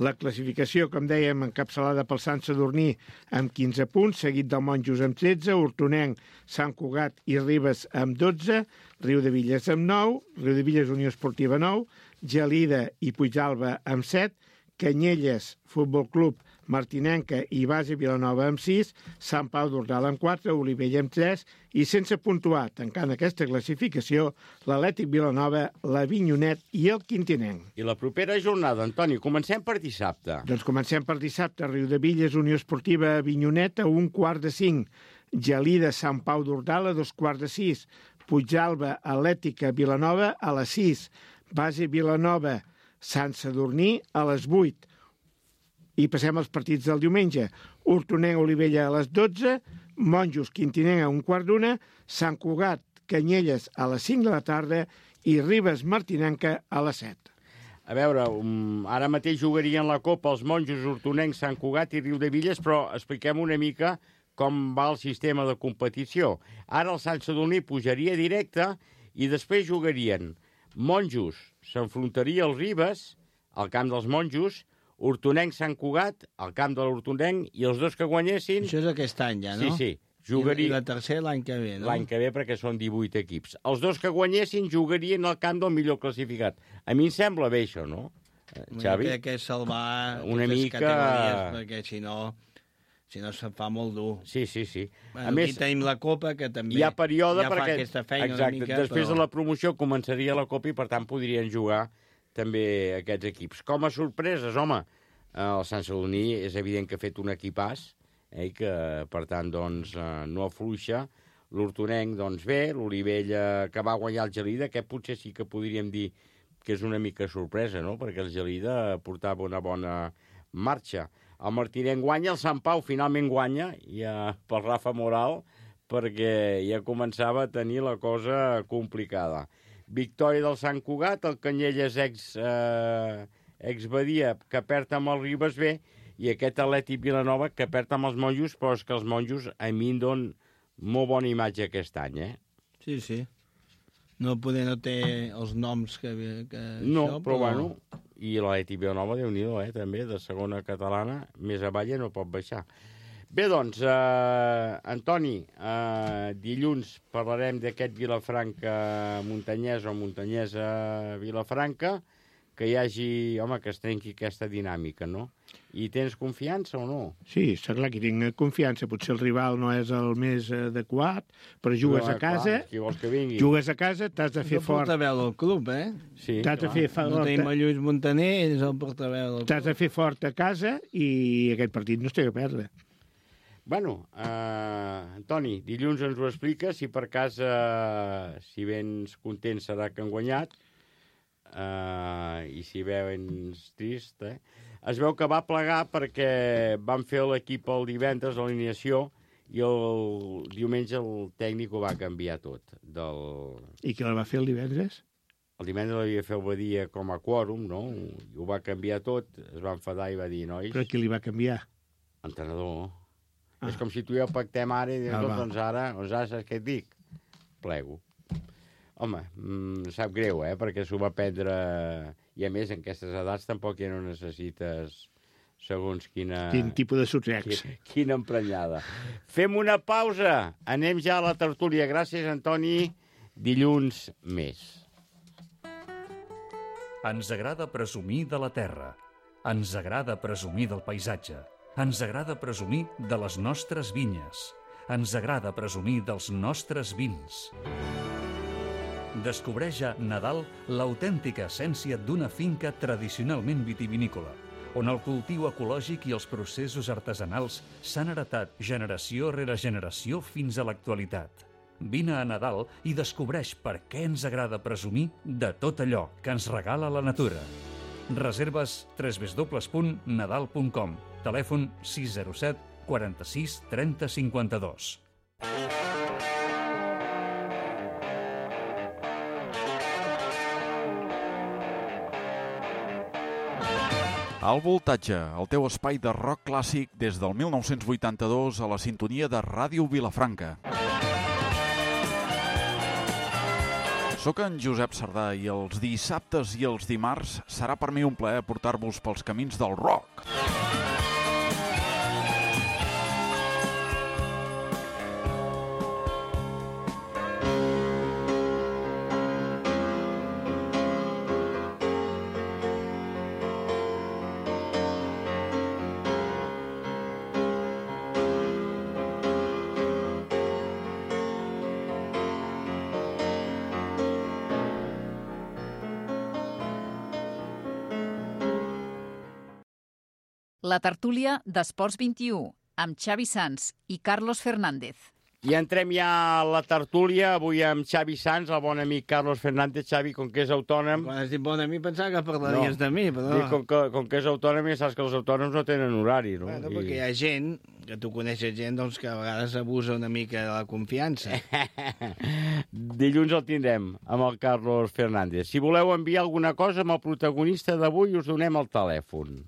La classificació, com dèiem, encapçalada pel Sant Sadurní amb quinze punts, seguit del Monjos amb tretze, Hortonenc, Sant Cugat i Ribes amb dotze, Riudevilles amb nou, Riudevilles Unió Esportiva nou, Gelida i Puigdalba amb set, Canyelles Futbol Club, Martinenca i Base Vilanova amb sis, Sant Pau d'Ordal amb quatre, Olivella amb tres i sense puntuar, tancant aquesta classificació, l'Atlètic Vilanova, l'Avinyonet i el Quintinenc. I la propera jornada, Antoni, comencem per dissabte. Doncs comencem per dissabte. Riudevilles, Unió Esportiva, Avinyonet a un quart de cinc. Gelida, Sant Pau d'Ordal a dos quarts de sis. Puigdalba, Atlètica, Vilanova a les sis. Base Vilanova, Sant Sadurní a les vuit. I passem als partits del diumenge. Hortonenc, Olivella a les dotze, Monjos, Quintinenc a un quart d'una, Sant Cugat, Canyelles a les cinc de la tarda i Ribes, Martinenca a les set. A veure, um, ara mateix jugarien la Copa els Monjos, Hortonenc, Sant Cugat i Riudevilles, però expliquem una mica com va el sistema de competició. Ara el Sant Sadurní pujaria directe i després jugarien Monjos, s'enfrontaria als Ribes, al camp dels Monjos, Hortonenc, Sant Cugat, al camp de l'Hortonenc, i els dos que guanyessin... Això és aquest any ja, no? Sí, sí. Jugaria... I la tercera l'any que ve, no? L'any que ve, perquè són divuit equips. Els dos que guanyessin jugarien al camp del millor classificat. A mi em sembla bé això, no, Xavi? Crec que és salvar una mica... categories, perquè si no... Si no, se'n fa molt dur. Sí, sí, sí. Bueno, a més, aquí tenim la Copa, que també hi ha període ja perquè... fa aquesta feina Exacte, una mica, després però... de la promoció començaria la Copa i, per tant, podrien jugar també aquests equips. Com a sorpreses, home, el Sant Sadurní és evident que ha fet un equipàs, eh, que, per tant, doncs, no afluixa. L'Hortonenc, doncs, bé. L'Olivella, que va guanyar el Gelida, que potser sí que podríem dir que és una mica sorpresa, no?, perquè el Gelida portava una bona marxa. El Martinenc guanya, el Sant Pau finalment guanya, ja pel Rafa Moral, perquè ja començava a tenir la cosa complicada. Victòria del Sant Cugat, el Canyelles ex, eh, ex Badia, que perd amb el Ribes B, i aquest Atlètic Vilanova, que perd amb els Monjos, però és que els Monjos a mi em donen molt bona imatge aquest any, eh? Sí, sí. No poder no té els noms que... que no, això, però, però bueno... I l'Atlètic Vilanova, Déu-n'hi-do, eh, també, de segona catalana, més avall no pot baixar. Bé, doncs, eh, Antoni, eh, dilluns parlarem d'aquest Vilafranca-Montanyès o Montanyès-Vilafranca, que hi hagi, home, que es trenqui aquesta dinàmica, no? I tens confiança o no? Sí, està clar que tinc confiança. Potser el rival no és el més adequat, però jugues però, a casa... Clar, qui vols que vingui? Jugues a casa, t'has de fer és fort. És el portaveu del club, eh? Sí, t'has de fer fort. No tenim el Lluís Montaner, ell és el portaveu del club. T'has de fer fort a casa i aquest partit no es té que perdre. Bueno, eh, Antoni, dilluns ens ho expliques, si per cas, eh, si vens content serà que han guanyat, eh, i si vens trist, eh? Es veu que va plegar perquè van fer l'equip el divendres, l'alineació, i el diumenge el tècnic ho va canviar tot. Del... I què el va fer el divendres? El divendres l'havia fet el Badia com a quòrum, no? I ho va canviar tot, es va enfadar i va dir, nois... Però qui li va canviar? Entrenador. Ah. És com si tu i jo pactem ara i dius, ah, doncs ara, doncs ara saps què et dic? Plego. Home, mm, sap greu, eh? Perquè s'ho va prendre... I a més, en aquestes edats tampoc ja no necessites segons quina... Quin tipus de sotrecs. Quina, quina emprenyada. Fem una pausa. Anem ja a la tertúlia. Gràcies, Antoni. Dilluns més. Ens agrada presumir de la terra. Ens agrada presumir del paisatge. Ens agrada presumir de les nostres vinyes. Ens agrada presumir dels nostres vins. Descobreix a Nadal l'autèntica essència d'una finca tradicionalment vitivinícola, on el cultiu ecològic i els processos artesanals s'han heretat generació rere generació fins a l'actualitat. Vine a Nadal i descobreix per què ens agrada presumir de tot allò que ens regala la natura. Reserves w w w punt nadal punt com. Telèfon sis zero set quaranta-sis trenta cinquanta-dos. Al Voltatge, el teu espai de rock clàssic des del mil nou-cents vuitanta-dos a la sintonia de Ràdio Vilafranca. Soc en Josep Sardà i els dissabtes i els dimarts serà per mi un plaer portar-vos pels camins del rock. La tertúlia d'Esports vint-i-u, amb Xavi Sans i Carlos Fernández. I entrem ja a la tertúlia, avui amb Xavi Sans, el bon amic Carlos Fernández. Xavi, com que és autònom... Quan has dit bon amic pensava que parlaries no. de mi, però... Dic, com, que, com que és autònom, ja saps que els autònoms no tenen horari, no? Bueno, I... perquè hi ha gent, que tu coneixes gent, doncs, que a vegades abusa una mica de la confiança. Dilluns el tindrem amb el Carlos Fernández. Si voleu enviar alguna cosa amb el protagonista d'avui, us donem el telèfon.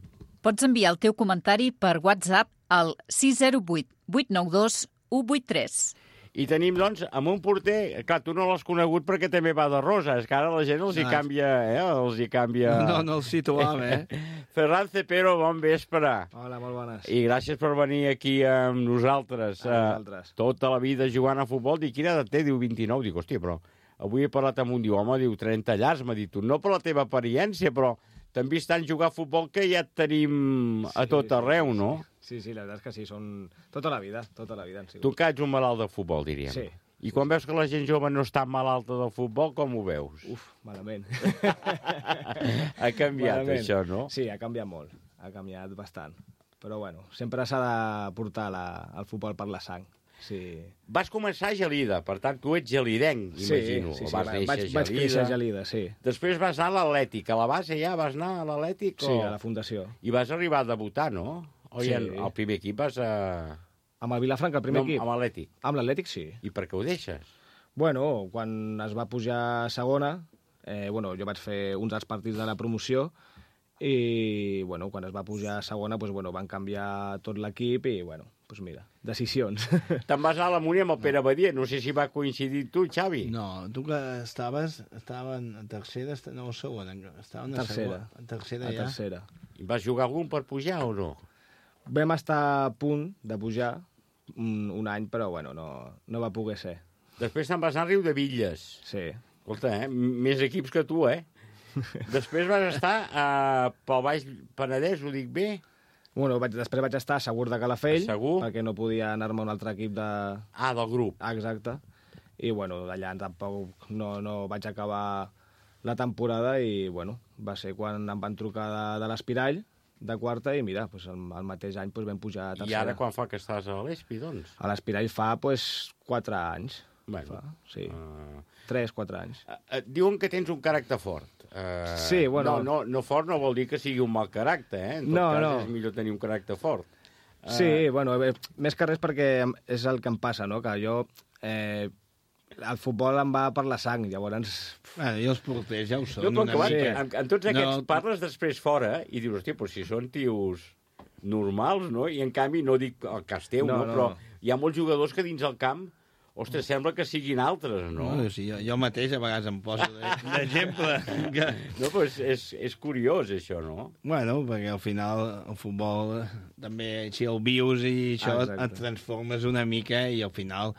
Pots enviar el teu comentari per WhatsApp al sis zero vuit vuit nou dos u vuit tres. I tenim, doncs, amb un porter... Clar, tu no l'has conegut perquè també va de rosa. És que ara la gent els hi canvia... Eh? Els hi canvia... No, no el situava, eh? Ferran Cepero, bon vespre. Hola, molt bones. I gràcies per venir aquí amb nosaltres. A nosaltres. Uh, tota la vida jugant a futbol. Dic, quina edat té? Diu vint-i-nou. Dic, hòstia, però... Avui he parlat amb un, diu, home, diu, trenta llars. M'ha dit, no per la teva apariència, però... T'han vist tant jugar a futbol que ja et tenim a tot arreu, no? Sí, sí, la veritat és que sí, són tota la vida, tota la vida han sigut. Tu que ets un malalt de futbol, diríem. Sí. I quan veus que la gent jove no està malalta del futbol, com ho veus? Uf, malament. Ha canviat malament. Això, no? Sí, ha canviat molt, ha canviat bastant. Però bueno, sempre s'ha de portar la, el futbol per la sang. Sí. Vas començar a Gelida, per tant, tu ets gelidenc, sí, imagino. Sí, sí, vas vaig, vaig, vaig créixer a Gelida, sí. Després vas anar a l'Atlètic. A la base ja vas anar a l'Atlètic? Sí, o... a la Fundació. I vas arribar a debutar, no? O sí. El, el primer equip vas a... Amb el Vilafranca, el primer no, equip? Amb l'Atlètic. Amb l'Atlètic, sí. I per què ho deixes? Bueno, quan es va pujar a segona, eh, bueno, jo vaig fer uns dels partits de la promoció i, bueno, quan es va pujar a segona, pues, bueno, van canviar tot l'equip i, bueno, pues mira, decisions. Te'n vas anar a la Múnia amb el Pere Badia. No sé si va coincidir tu, Xavi. No, tu que estaves, estaven a tercera, no a segona, estaven a tercera. segona. A tercera a ja. tercera. I vas jugar algun per pujar o no? Vam estar a punt de pujar un, un any, però bueno, no, no va poder ser. Després te'n vas anar a Riudevilles. Sí. Escolta, eh? Més equips que tu, eh? Després vas estar uh, pel Baix Penedès, ho dic bé? Bueno, vaig, després vaig estar a Segur de Calafell, Segur? perquè no podia anar-me a un altre equip de... Ah, del grup. Ah, exacte. I, bueno, d'allà tampoc no, no vaig acabar la temporada i, bueno, va ser quan em van trucar de, de l'Espirall, de quarta, i mira, pues, el, el mateix any pues, vam pujar a tercera. I ara quan fa que estàs a l'Espi, doncs? A l'Espirall fa, pues, quatre anys. Bueno, fa, sí. Uh... Tres, quatre anys. Uh, uh, diuen que tens un caràcter fort. Uh, sí, bueno... No, no, no fort no vol dir que sigui un mal caràcter, eh? En tot no, cas, no. és millor tenir un caràcter fort. Uh... Sí, bueno, bé, més que res perquè és el que em passa, no? Que jo... Eh, el futbol em va per la sang, llavors... Bueno, i els porters ja ho són. No, però que sí. en, en tots aquests no... parles després fora i dius, hòstia, però si són tios normals, no? I en canvi, no dic el cas teu, no, no, no, però hi ha molts jugadors que dins el camp ostres, sembla que siguin altres, no? No, sí, jo, jo mateix a vegades em poso d'exemple. Que... No, però és, és, és curiós, això, no? Bueno, perquè al final el futbol també, si el vius i això, ah, et transformes una mica i al final,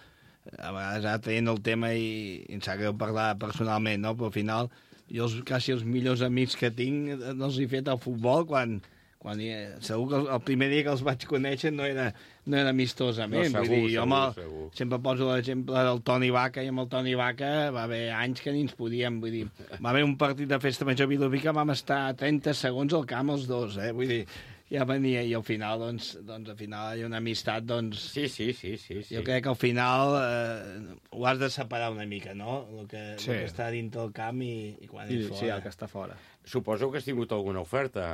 a vegades ara traient el tema i, i em sap greu parlar personalment, no? Però al final, jo els, quasi els millors amics que tinc els he fet al futbol quan, Quan hi, segur que el, el primer dia que els vaig conèixer no era, no era amistosament. No, segur, vull dir, jo segur, me, segur. sempre poso l'exemple del Toni Vaca, i amb el Toni Vaca va haver anys que ni ens podíem, vull dir, va haver un partit de festa major a Vilobí que vam estar trenta segons al camp els dos, eh? Vull dir, ja venia, i al final, doncs, doncs al final hi ha una amistat, doncs... Sí, sí, sí, sí, sí. Jo crec que al final eh, ho has de separar una mica, no? El que, Sí. el que està dintre el camp i, i quan I, és fora. sí, el que està fora. Suposo que has tingut alguna oferta,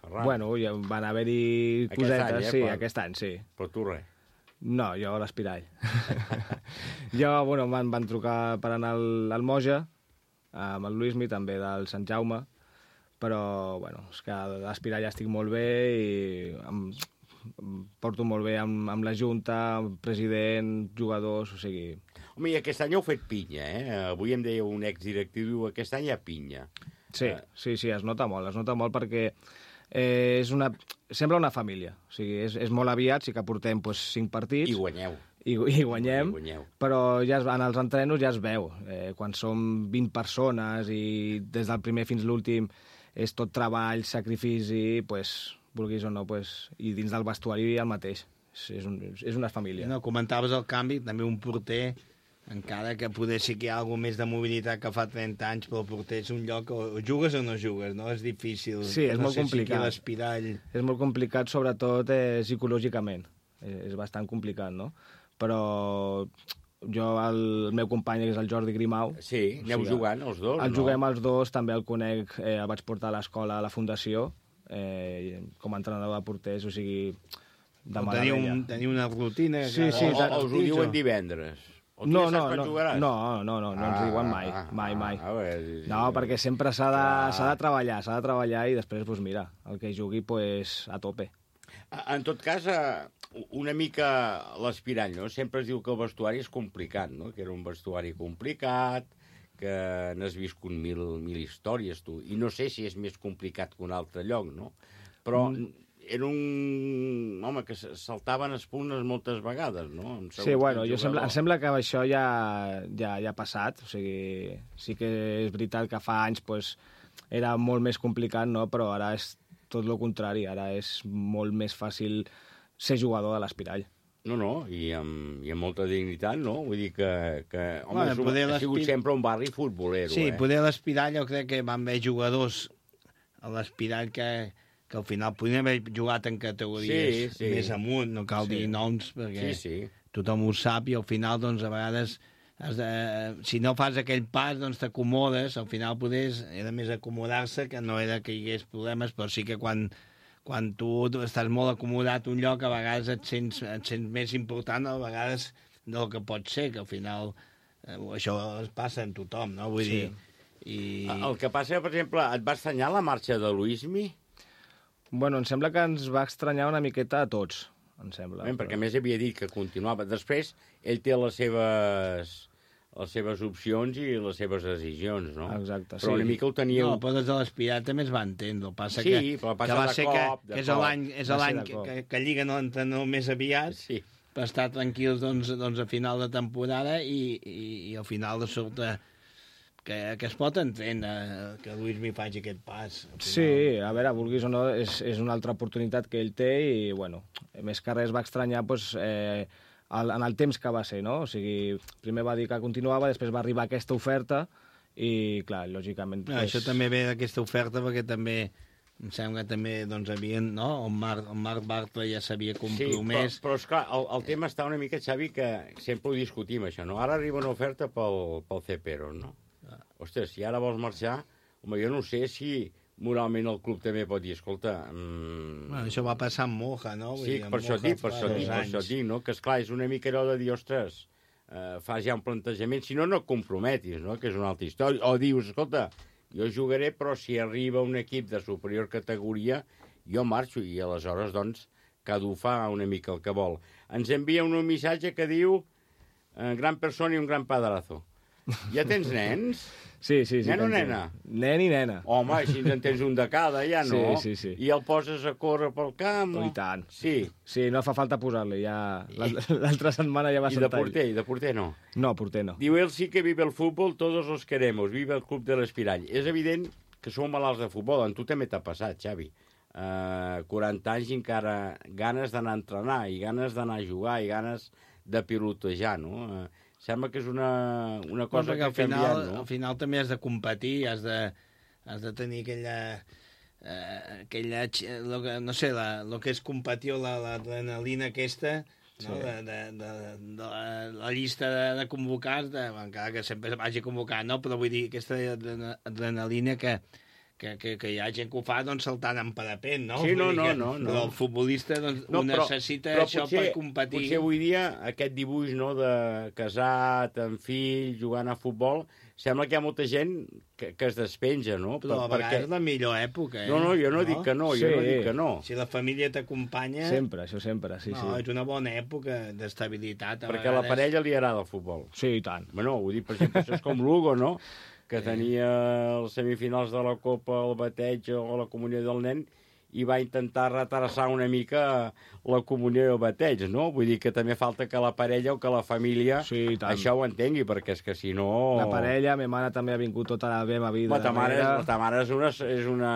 Ferran. Bueno, ja van haver-hi Aquest cosetes, any, eh, sí, però- aquest any, sí. Però tu res. No, jo a l'Espirall. jo, bueno, van, van trucar per anar al, al Moja, amb el Luismi, també del Sant Jaume, però, bueno, és que a l'Espirall estic molt bé i em, em porto molt bé amb, amb la Junta, amb president, jugadors, o sigui... Home, i aquest any heu fet pinya, eh? Avui em deia un exdirectiu, diu, aquest any hi ha pinya. Sí, sí, sí, es nota molt, es nota molt perquè eh, és una, sembla una família. O sigui, és, és molt aviat, sí que portem pues, cinc partits. I guanyeu. I, i guanyem, I guanyeu. però ja es, en els entrenos ja es veu. Eh, quan som vint persones i des del primer fins l'últim és tot treball, sacrifici, pues, vulguis o no, pues, i dins del vestuari el mateix. És, és, un, és una família. No, comentaves el canvi, també un porter, encara que poder sí que hi ha alguna més de mobilitat que fa trenta anys, però el porter és un lloc o, o jugues o no jugues, no? És difícil. Sí, és no molt sé complicat. Si l'espirall... És molt complicat, sobretot eh, psicològicament. És, és bastant complicat, no? Però jo, el, el meu company, que és el Jordi Grimau... Sí, aneu jugant els dos, El no? juguem els dos, també el conec, eh, el vaig portar a l'escola, a la fundació, eh, com a entrenador de porters, o sigui, de Teniu, meravella. un, teniu una rutina... Sí, que- sí, O, o us ho diuen divendres? O tu No, ja no, saps quan no, jugaràs? no, no, no, no ens Ah, diuen mai, ah, mai, mai. ah, bé, sí, sí. No, perquè sempre s'ha de, Clar. s'ha de treballar, s'ha de treballar i després, doncs mira, el que jugui, pues, a tope. En tot cas, eh, una mica l'Espirall, no? Sempre es diu que el vestuari és complicat, no? Que era un vestuari complicat, que n'has viscut mil, mil històries, tu. I no sé si és més complicat que un altre lloc, no? Però era un home que saltaven espunes moltes vegades, no? Amb Sí, segons bueno, quin jo sembla, jugador. em sembla que això ja, ja, ja ha passat, o sigui, sí que és veritat que fa anys pues, era molt més complicat, no? Però ara és tot el contrari, ara és molt més fàcil ser jugador de l'Espirall. No, no, i amb, i amb molta dignitat, no? Vull dir que, que home, Bueno, és un- poder ha sigut l'Espirall- sempre un barri futbolero, Sí, eh? poder l'Espirall, jo crec que van haver jugadors a l'Espirall que, que al final podien haver jugat en categories Sí, sí. més amunt, no cal Sí. dir noms, perquè Sí, sí. tothom ho sap, i al final, doncs, a vegades, has de, si no fas aquell pas, doncs t'acomodes, al final podés, era més acomodar-se, que no era que hi hagués problemes, però sí que quan, quan tu estàs molt acomodat a un lloc, a vegades et sents, et sents més important, a vegades, del que pot ser, que al final eh, això es passa en tothom, no? Vull Sí. dir... I... El que passa, per exemple, et va estranyar la marxa de Luismi? Bueno, em sembla que ens va estranyar una miqueta a tots, em sembla. Eh, perquè a més havia dit que continuava. Després, ell té les seves, les seves opcions i les seves decisions, no? Exacte, Però sí. una mica ho teníeu... No, però des de l'Espirat també es va entendre. El passa Sí, que, però passa que va de ser cop, que, de que és cop. l'any és Va ser l'any de que, cop. que, que lliguen l'entrenador més aviat, Sí. per estar tranquils doncs, doncs, a final de temporada, i, i, i al final de sobte que, que es pot entendre que Luis mi faci aquest pas. Al final. Sí, a veure, vulguis o no, és, és una altra oportunitat que ell té i, bueno, més que res va estranyar pues, eh, el, en el temps que va ser, no? O sigui, primer va dir que continuava, després va arribar aquesta oferta i, clar, lògicament... No, això també ve d'aquesta oferta, perquè també em sembla que també doncs, havien, no? El Marc, el Marc Bartra ja s'havia Sí, compromès. però, però esclar, el, el tema està una mica, Xavi, que sempre ho discutim, això, no? Ara arriba una oferta pel, pel Cepero, no? Ah. Ostres, si ara vols marxar, home, jo no sé si moralment el club també pot dir, escolta... Mm... Bueno, això va passar amb Moja, no? Vull Sí, dir, amb per això Moja dic, per fa això dos dic, per això anys. dic, no? Que, esclar, és una mica allò de dir, ostres, eh, fas ja un plantejament, si no, no et comprometis, no? Que és una altra història. O dius, escolta, jo jugaré, però si arriba un equip de superior categoria, jo marxo, i aleshores, doncs, cada un fa una mica el que vol. Ens envia un missatge que diu eh, gran persona i un gran padrazo. Ja tens nens? Sí, sí, sí. Nen o que en té. nena? Nen i nena. Home, així en tens un de cada, ja no? Sí, sí, sí. I el poses a córrer pel camp? Oh, o- I tant. Sí. Sí, no fa falta posar-li, ja... L'altra setmana ja va I de saltar. porter, i de porter no. No, porter no. Diu, él sí que vive el fútbol, todos los queremos, vive el club de l'Espirall. És evident que sou malalts de futbol, en tu també t'ha passat, Xavi. eh, quaranta anys i encara ganes d'anar a entrenar, i ganes d'anar a jugar, i ganes de pilotejar, no? Eh, sembla que és una, una cosa Però que al ha canviat, final, no? al final també has de competir, has de, has de tenir aquella... Eh, aquella, lo que, no sé, la, lo que és competir, l'adrenalina aquesta, no? Sí. de, de, de, de la, la llista de, de convocats, de, encara que sempre vagi convocat, no? Però vull dir, aquesta adrenalina que, que, que, que hi ha gent que ho fa doncs, saltant en parapent, no? Sí, no, Vull dir no, que, no, no. Però el futbolista doncs, No, ho però- necessita però això potser- per competir. Potser avui dia aquest dibuix, no?, de casat, amb fill, jugant a futbol, sembla que hi ha molta gent que, que es despenja, no? Però a vegades és la millor època, eh? No, no, jo no, dic que no, jo no dic que no. Si la família t'acompanya... Sempre, això sempre, sí, no, sí. és una bona època d'estabilitat. a Perquè a la vegades. parella li agrada el futbol. Sí, i tant. Bueno, ho dic, per exemple, això és com l'Hugo, no?, que tenia els semifinals de la Copa, el bateig o la comunió del nen, i va intentar retrasar una mica la comunió i el bateig, no? Vull dir que també falta que la parella o que la família sí, això ho entengui, perquè és que si no... La parella, ma mare també ha vingut tota la meva vida. La ta mare, darrere. la ta mare és una... És una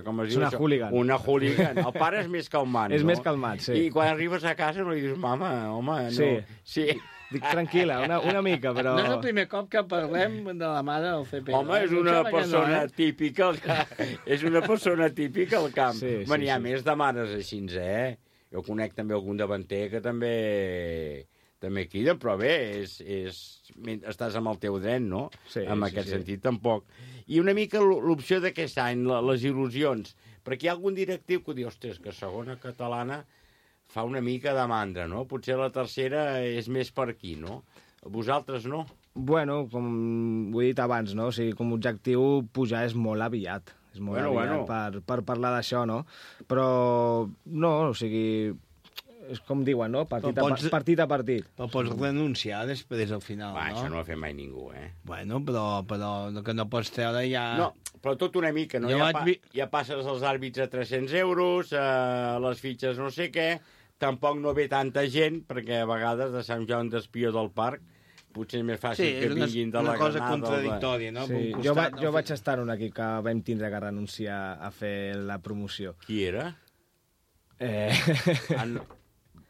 com es És diu una això? hooligan. Una hooligan. El pare és més calmant, És no? més calmat, sí. I quan arribes a casa no li dius, mama, home, no... Sí. Sí. Dic, tranquil·la, una, una mica, però... No és el primer cop que parlem de la mare del C P. Home, és una persona típica al camp. És una persona típica al camp. Sí, sí, Bueno, hi ha sí. més de mares així, eh? Jo conec també algun davanter que també també criden, però bé, és, és, estàs amb el teu dret, no? Sí, en sí, aquest sí. sentit, tampoc. I una mica l- l'opció d'aquest any, la- les il·lusions, perquè hi ha algun directiu que diu, ostres, que segona catalana fa una mica de mandra, no? Potser la tercera és més per aquí, no? Vosaltres no? Bueno, com ho he dit abans, no? O sigui, com a objectiu, pujar és molt aviat. És molt Bueno, aviat bueno. Per, per parlar d'això, no? Però, no, o sigui, és com diuen, no? Partit, Però a, pots- partit a partit. Però pots renunciar després al final, Va, no? això no ho ha fet mai ningú, eh? Bueno, però, però el que no pots treure ja... No, però tot una mica, no? Jo Ja, vaig pa, vi- ja passes els àrbits a tres-cents euros, eh, les fitxes no sé què, tampoc no ve tanta gent, perquè a vegades de Sant Joan d'Espió del Parc potser és més fàcil Sí, que és una- vinguin de una la cosa Granada. o de- contradictòria, no? Per Sí, un jo, costat, va, no? jo vaig estar en un equip que vam tindre que renunciar a fer la promoció. Qui era? Eh... En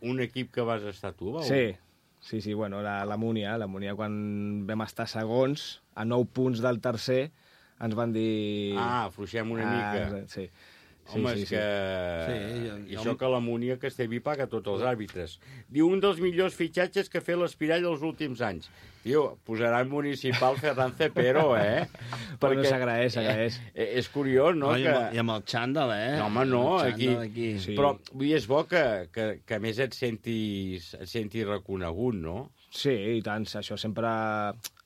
un equip que vas estar tu, va? Sí, sí, sí, bueno, la, la Múnia, la Múnia quan vam estar segons, a nou punts del tercer, ens van dir... Ah, afluixem una mica. Ah, sí. Home, sí, és sí, que... Sí, I jo- això que la Múnia Castellví paga tots els àrbitres. Diu, un dels millors fitxatges que ha fet l'Espirall els últims anys. Tio, posaran municipal Ferran Cepero, eh? Bueno, s'agraeix, s'agraeix. Eh, és curiós, no? No, i, que... amb, I amb el xàndal, eh? No, home, no, El aquí... xàndal aquí. Sí. Però vull dir, és bo que, que, que a més et sentis, et sentis reconegut, no? Sí, i tant, això sempre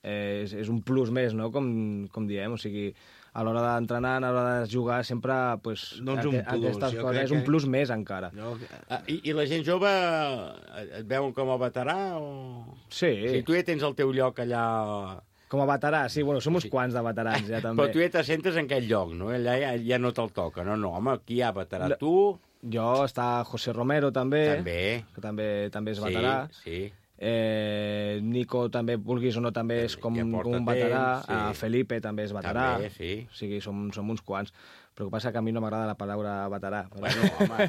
és, és un plus més, no?, com, com diem, o sigui, a l'hora d'entrenar, a l'hora de jugar, sempre, pues, Doncs un aqu- plus, aquestes jo coses, crec és un que- plus més encara. Jo... Ah, i, I la gent jove et veuen com a veterà o...? Sí, Si tu ja tens el teu lloc allà... com a veterà, sí, bueno, som uns Sí. quants de veterans ja també. Però tu ja te sentes en aquell lloc, no? Allà ja, ja no te'l toca. No, no, home, aquí hi ha veterà. La- Tu... Jo, està José Romero també, També. que també, també és Sí, veterà. sí. Eh, Nico també, vulguis o no, també és com, Ja porta com un veterà. temps, sí. Eh, Felipe també és veterà. També, sí. O sigui, som, som uns quants. Però el que passa que a mi no m'agrada la paraula veterà. Però... Bueno, home,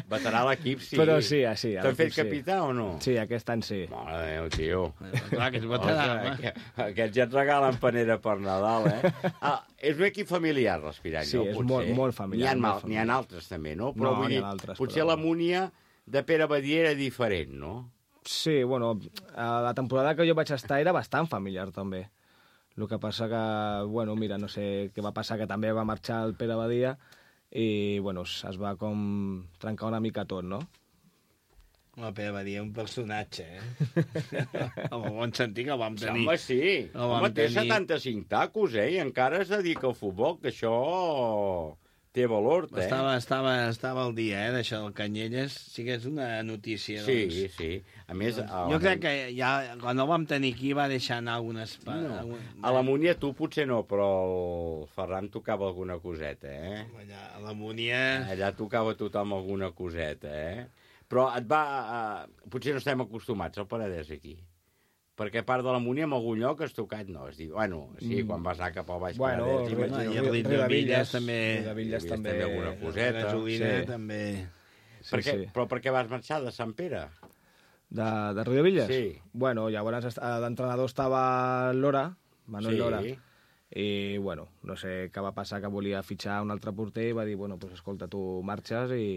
veterà a l'equip, sí. Però sí, ah, sí. a T'han fet l'equip sí. capità o no? Sí, aquest any sí. Mare de Déu, tio. Clar, que és veterà, Ostres, home. que- Aquests ja et regalen panera per Nadal, eh? Ah, és un equip familiar, l'Espirall, Sí, no? és Potser. molt- molt familiar, N'hi ha, molt mal- n'hi ha familiar. altres, també, no? Però No, vull n'hi dir, ha altres, potser però- la Múnia de Pere Badia era diferent, no? Sí, bueno, a la temporada que jo vaig estar era bastant familiar, també. El que passa que, bueno, mira, no sé què va passar, que també va marxar el Pere Badia i, bueno, es es va com trencar una mica tot, no? Home, Pere Badia, un personatge, eh? En el bon sentit que el vam tenir. Home, sí. El vam Home, té tenir. setanta-cinc tacos, eh? I encara es dedica al futbol, que això té valor, eh? Estava, estava, estava al dia, eh, d'això del Canyelles. Sí que és una notícia, Sí, doncs. sí. A més... Doncs, a jo la- crec que ja, quan el vam tenir aquí va deixar anar algunes... pa- No. algun- A la Múnia tu potser no, però el Ferran tocava alguna coseta, eh? Allà, a la Múnia... Allà tocava tothom alguna coseta, eh? Però et va... Uh, potser no estem acostumats al Penedès aquí. perquè a part de la Múnia, en algun lloc has tocat, no, es diu, bueno, sí, quan vas anar cap al Baix bueno, Penedès, bueno, imagino. i a Riudevilles també. Riudevilles també alguna coseta. La Gasolina també. Sí, per què, sí. Però per què vas marxar de Sant Pere? De, de Riudevilles? Sí. Bueno, llavors l'entrenador estava Lora, Manuel sí. Lora, i, bueno, no sé què va passar, que volia fitxar un altre porter i va dir, bueno, pues escolta, tu marxes i,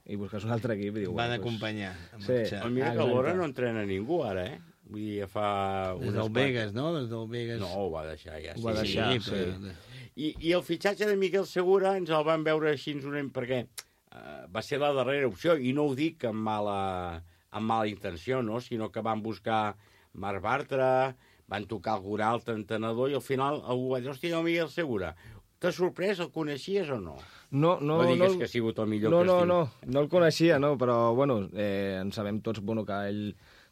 i busques un altre equip. I diu, Van bueno, acompanyar. Pues... Sí. Però mira que l'Hora no entrena ningú, ara, eh? Vull dir, fa... Des del Vegas, no? Des del Vegas. No, ho va deixar, ja. Ho va sí, deixar, sí. sí. sí. I, I el fitxatge de Miquel Segura ens el van veure així, perquè uh, va ser la darrera opció, i no ho dic amb mala, amb mala intenció, no? Sinó que van buscar Marc Bartra, van tocar algun altre entenedor, i al final algú va dir, hòstia, no, Miquel Segura, t'ha sorprès, el coneixies o no? No, no, no digues no, que ha sigut el millor no, que no, estiu. no, no el coneixia, no, però, bueno, eh, en sabem tots, bueno, que ell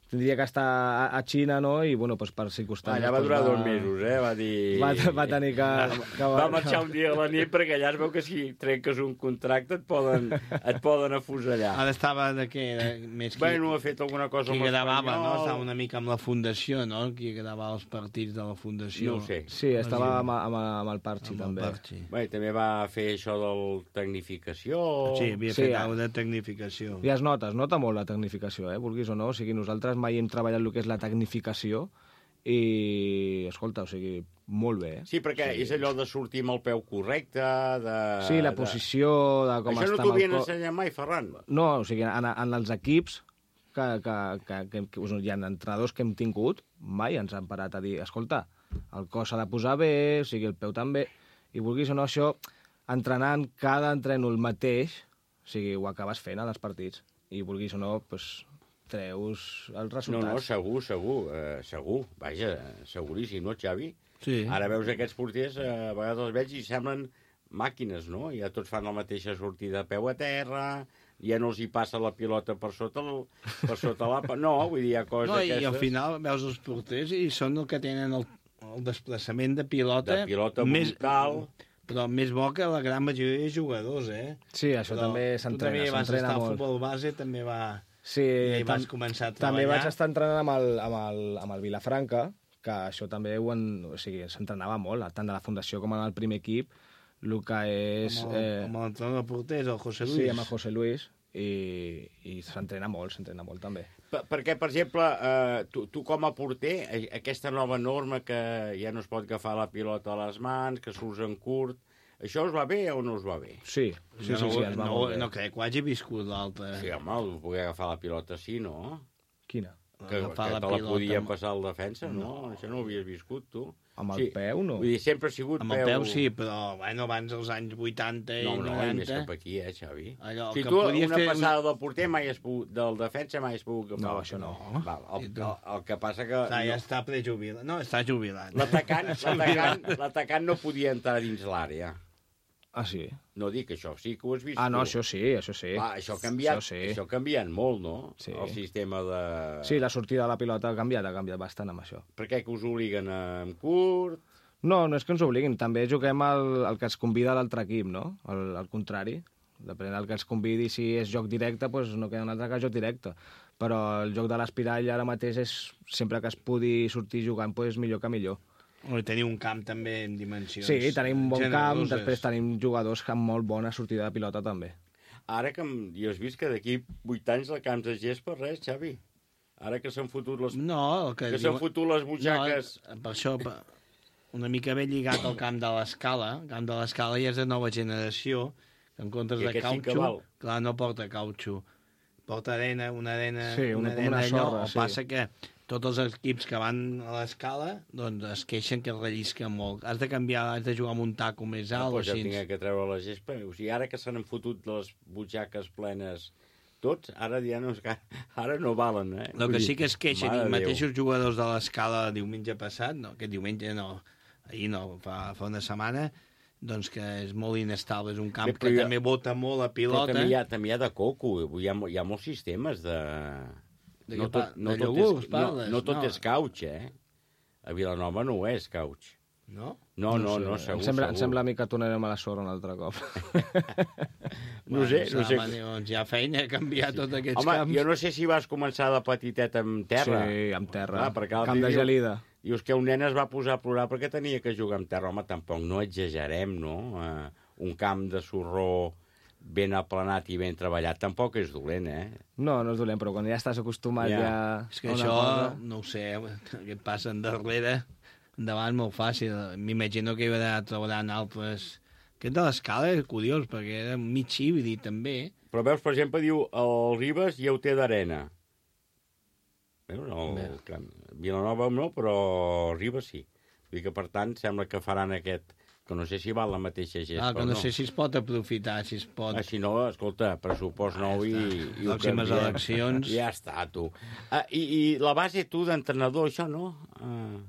tindria que estar a, a Xina, no?, i, bueno, pues, per circumstàncies... Allà va durar va... dos mesos, eh?, va dir... Va, va tenir que... que va marxar un dia a la nit, perquè allà es veu que si trenques un contracte et poden, et poden afusellar. Ara estava de què? De, més qui... Bueno, ha fet alguna cosa amb l'Espanyol. Qui gravava, no? Espanyol. Estava una mica amb la Fundació, no? Qui gravava els partits de la Fundació. No ho sé. Sí, estava amb, amb, amb el Parchi, amb també. El Parchi. Bé, també va fer això del tecnificació... Sí, havia sí, fet alguna de tecnificació. I es nota, es nota molt la tecnificació, eh, vulguis o no. O sigui, nosaltres mai hem treballat el que és la tecnificació i, escolta, o sigui, molt bé, eh? Sí, perquè sí. És allò de sortir amb el peu correcte, de... Sí, la posició, de com això està... Això no t'ho havien ensenyat mai, Ferran? No, o sigui, en, en els equips que, que, que, que, que hi ha entrenadors que hem tingut, mai ens han parat a dir, escolta, el cos s'ha de posar bé, o sigui, el peu també, i vulguis o no, això, entrenant cada entreno el mateix, o sigui, ho acabes fent als partits, i vulguis o no, doncs, treus els resultats. No, no, segur, segur, eh, segur, vaja, seguríssim, no, Xavi? Sí. Ara veus aquests porters, eh, a vegades els veig i semblen màquines, no? Ja tots fan la mateixa sortida a peu a terra, ja no els hi passa la pilota per sota, el, per sota la... No, vull dir, hi ha coses no, d'aquestes... I al final veus els porters i són el que tenen el, el desplaçament de pilota... De pilota més, brutal... Però més bo que la gran majoria de jugadors, eh? Sí, això però també s'entrena, s'entrena molt. Tu també vas estar molt. al futbol base, també va... Sí, i tam vas començar a treballar. També vaig estar entrenant amb el, amb el, amb el Vilafranca, que això també ho en, o sigui, s'entrenava molt, tant de la fundació com en el primer equip, el que és... Amb el, eh... amb l'entrenador de porters, el José Luis. Sí, amb el José Luis, i, i s'entrena molt, s'entrena molt també. Per, perquè, per exemple, eh, tu, tu com a porter, aquesta nova norma que ja no es pot agafar la pilota a les mans, que surts en curt, això us va bé o no us va bé? Sí, sí, no, sí, sí, ens va no, molt bé. No crec que ho hagi viscut l'altre. Sí, home, poder agafar la pilota sí, no? Quina? Que, que te la, la podia passar al defensa, no? no? Això no ho havies viscut, tu. Amb el sí. peu, no? Vull dir, sempre ha sigut amb peu... Amb el peu sí, però bueno, abans dels anys vuitanta i no, no, noranta... No, més cap aquí, eh, Xavi? Allò, si tu una fer... passada del porter mai has pogut, del defensa mai has pogut agafar. No, això no. Val, el, el, el que passa que... Està, ja no... està prejubilat. No, està jubilat. L'atacant no podia entrar dins l'àrea. Ah, sí? No dic això, sí que ho has vist. Ah, no, tu. això sí, això sí. Va, això ha canviat, això, sí. això ha canviat molt, no? Sí. El sistema de... Sí, la sortida de la pilota ha canviat, ha canviat bastant amb això. Per què que us obliguen en curt? No, no és que ens obliguin, també juguem el, el que es convida l'altre equip, no? El, el contrari. Depèn del que es convidi, si és joc directe, doncs no queda un altre que joc directe. Però el joc de l'espirall ara mateix és, sempre que es pugui sortir jugant, doncs millor que millor. O teniu un camp també en dimensions sí, tenim un bon generoses. Camp, després tenim jugadors amb molt bona sortida de pilota també. Ara que jo has vist que d'aquí vuit anys el camp de gest per res, Xavi. Ara que s'han fotut les... No, el que, que s'han fotut les butxaques... No, per això, una mica ben lligat al camp de l'Escala. El camp de l'Escala ja és de nova generació, que en comptes de cautxo, sí clar, no porta cautxo. Porta arena, una arena... Sí, una, una arena una allò, sorra, o sí. passa que tots els equips que van a l'escala doncs es queixen que rellisca molt. Has de canviar, has de jugar amb un taco més alt. No, doncs ja tinc que treure la gespa. O sigui, ara que s'han fotut les butxaques plenes tots, ara ja no, ara no valen, eh? El que sí que es queixen, i mateixos Déu. jugadors de l'escala diumenge passat, no, aquest diumenge no, ahir no, fa, fa una setmana, doncs que és molt inestable, és un camp Bé, que jo... també bota molt a pilota. Però també hi ha, també hi ha de coco, hi ha, hi ha molts sistemes de... De no tot, no de tot iogurts, és, parles? No, no tot no. és couch, eh? A Vilanova no ho és couch. No? No, no, no, no segur, em sembla, segur. Em sembla a mi que tornarem a la sorra un altre cop. No sé, no sé. Home, doncs hi ha feina a canviar sí. tots aquests Home, camps. jo no sé si vas començar de petitet amb terra. Sí, amb terra. Ah, perquè Camp de diu, gelida. Dius que un nen es va posar a plorar perquè tenia que jugar amb terra. Home, tampoc no exagerem, no? Uh, un camp de sorró ben aplanat i ben treballat tampoc és dolent, eh? No, no és dolent, però quan ja estàs acostumat ja... ja és que això, cosa... no ho sé, que et passa endarrere, endavant molt fàcil. M'imagino que hi haurà trobaran altres... Aquest de l'escala és curiós, perquè era mig híbrid, també. Però veus, per exemple, diu, el Ribes ja ho té d'arena. Veus? El camp. Vilanova no, però Ribes sí. Vull dir que, per tant, sembla que faran aquest... que no sé si val la mateixa gesta ah, que no, no sé si es pot aprofitar, si es pot... Ah, si no, escolta, pressupost nou i... i pròximes eleccions... Ja està, tu. Ah, i, I la base, tu, d'entrenador, això no? Ah,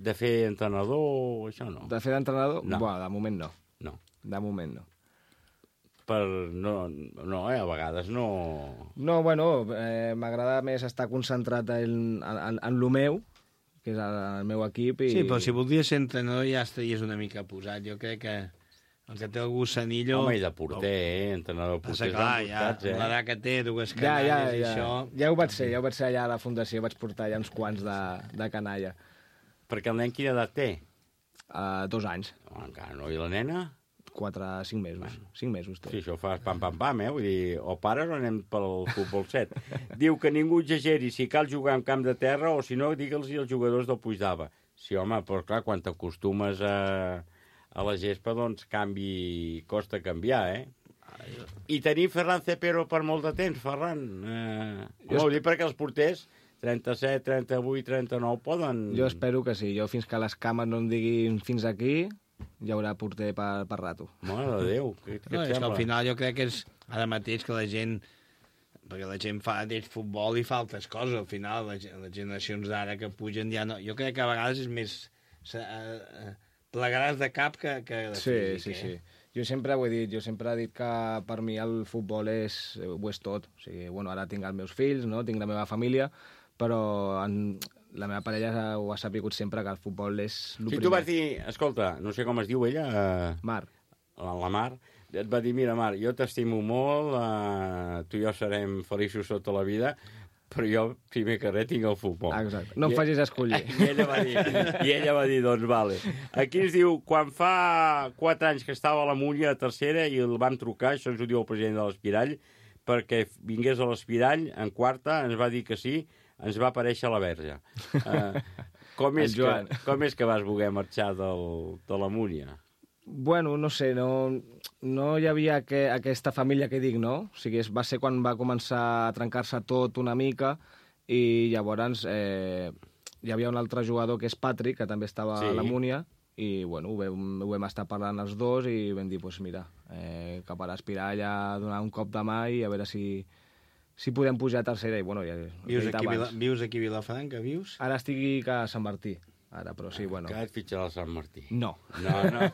de fer entrenador, això no? De fer d'entrenador? No. Buah, de moment no. No. De moment no. Per... No, no eh? A vegades no... No, bueno, eh, m'agrada més estar concentrat en, en, en lo meu, que és el, el meu equip. I... Sí, però si voldries ser entrenador ja estaries una mica posat. Jo crec que el que té el gussanillo... Home, i de porter, eh? Entrenador porter. Passa, clar, ja, eh? l'edat que té, dues ja, canalles ja, i ja. això... Ja ho vaig ser, ja ho vaig ser allà a la fundació, vaig portar ja uns quants de, de canalla. Perquè el nen quina edat té? Uh, dos anys. Oh, encara no, i la nena? Quatre, cinc mesos. Bueno. Cinc mesos té. Sí, això fa pam, pam, pam, eh? Vull dir, o pares o anem pel futbol set. Diu que ningú exageri si cal jugar en camp de terra o si no, digue'ls als jugadors del Puigdava. Sí, home, però clar, quan t'acostumes a, a la gespa, doncs canvi, costa canviar, eh? I tenim Ferran Cepero per molt de temps, Ferran. Eh, jo ho dic perquè els porters, trenta-set, trenta-vuit, trenta-nou, poden... Jo espero que sí. Jo fins que les cames no em diguin fins aquí, hi haurà porter per, per rato. Mare de Déu, què, què no, et és que sembla? al final jo crec que és ara mateix que la gent... Perquè la gent fa del futbol i fa altres coses, al final, les, les generacions d'ara que pugen ja no... Jo crec que a vegades és més... Uh, plegaràs de cap que, que de sí, físic, sí, eh? sí. Jo sempre ho he dit, jo sempre he dit que per mi el futbol és, ho és tot. O sigui, bueno, ara tinc els meus fills, no? Tinc la meva família, però en, la meva parella ho ha sapigut sempre que el futbol és el si primer. tu vas dir, escolta, no sé com es diu ella... Uh, Mar. La, la Mar, et va dir, mira, Mar, jo t'estimo molt, uh, tu i jo serem feliços tota la vida, però jo, primer que res, tinc el futbol. Exacte. No em I, facis escollir. I ella va dir, i ella va dir, doncs, vale. Aquí ens diu, quan fa quatre anys que estava a la Múnia a tercera i el vam trucar, això ens ho diu el president de l'Espirall, perquè vingués a l'Espirall, en quarta, ens va dir que sí, ens va aparèixer la Verge. Uh, com, és que, com és que vas voler marxar del, de la Múnia? Bueno, no sé, no, no hi havia que, aquesta família que dic, no? O sigui, va ser quan va començar a trencar-se tot una mica i llavors eh, hi havia un altre jugador que és Patrick, que també estava sí. a la Múnia, i bueno, ho vam, ho vam estar parlant els dos i vam dir, doncs pues mira, eh, cap a l'Espirall a donar un cop de mà i a veure si, si podem pujar a tercera. I, bueno, ja, vius, aquí, Vila, vius aquí a Vilafranca, vius? Ara estic a Sant Martí. Ara, però sí, bueno... Que et fitxarà el Sant Martí. No. No, no.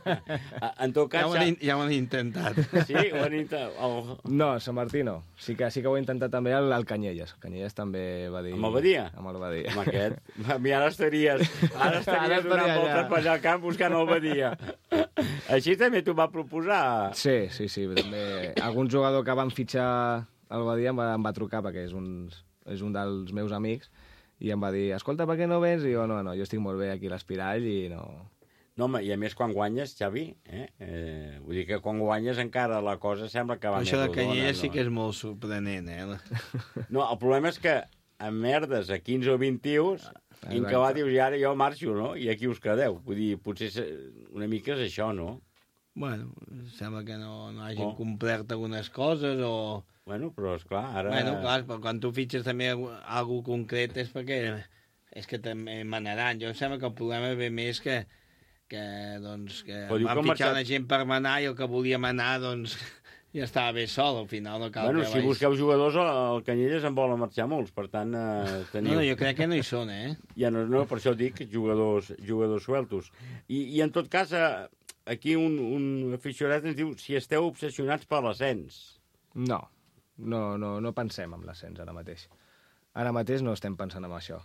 En tot cas... Ja ho han, ja ho han intentat. Sí, ho han intentat. Oh. No, Sant Martí no. Sí que, sí que ho he intentat també al, al Canyelles. Canyelles també va dir... Amb el Badia? Amb el Badia. Amb aquest. I ara estaries, ara estaries donant voltes per allà al camp buscant el Badia. Així també t'ho va proposar? Sí, sí, sí. També algun jugador que van fitxar al Badia em va, em va trucar perquè és un, és un dels meus amics i em va dir, escolta, per què no vens? I jo, no, no, jo estic molt bé aquí a l'Espirall i no... No, home, i a més quan guanyes, Xavi, eh? eh vull dir que quan guanyes encara la cosa sembla que va però més rodona. Això de Canyelles no? sí que és molt sorprenent, eh? No, el problema és que amb merdes a quinze o vint tios, i en què va dius, i ara jo marxo, no? I aquí us quedeu. Vull dir, potser una mica és això, no? Bueno, sembla que no, no hagin oh. complert algunes coses o... Bueno, però esclar, ara... Bueno, clar, però quan tu fitxes també algú concret és perquè és que també manaran. Jo em sembla que el problema ve més que, que, doncs, que van fitxar marxat... una gent per manar i el que volia manar, doncs, ja estava bé sol, al final no cal bueno, que... si vais... busqueu jugadors, el Canyelles en volen marxar molts, per tant, eh, teniu... No, no, jo crec que no hi són, eh? Ja no, no, per això dic jugadors, jugadors sueltos. I, I en tot cas, aquí un, un aficionat ens diu si esteu obsessionats per l'ascens. No. No, no, no pensem en l'ascens ara mateix. Ara mateix no estem pensant en això.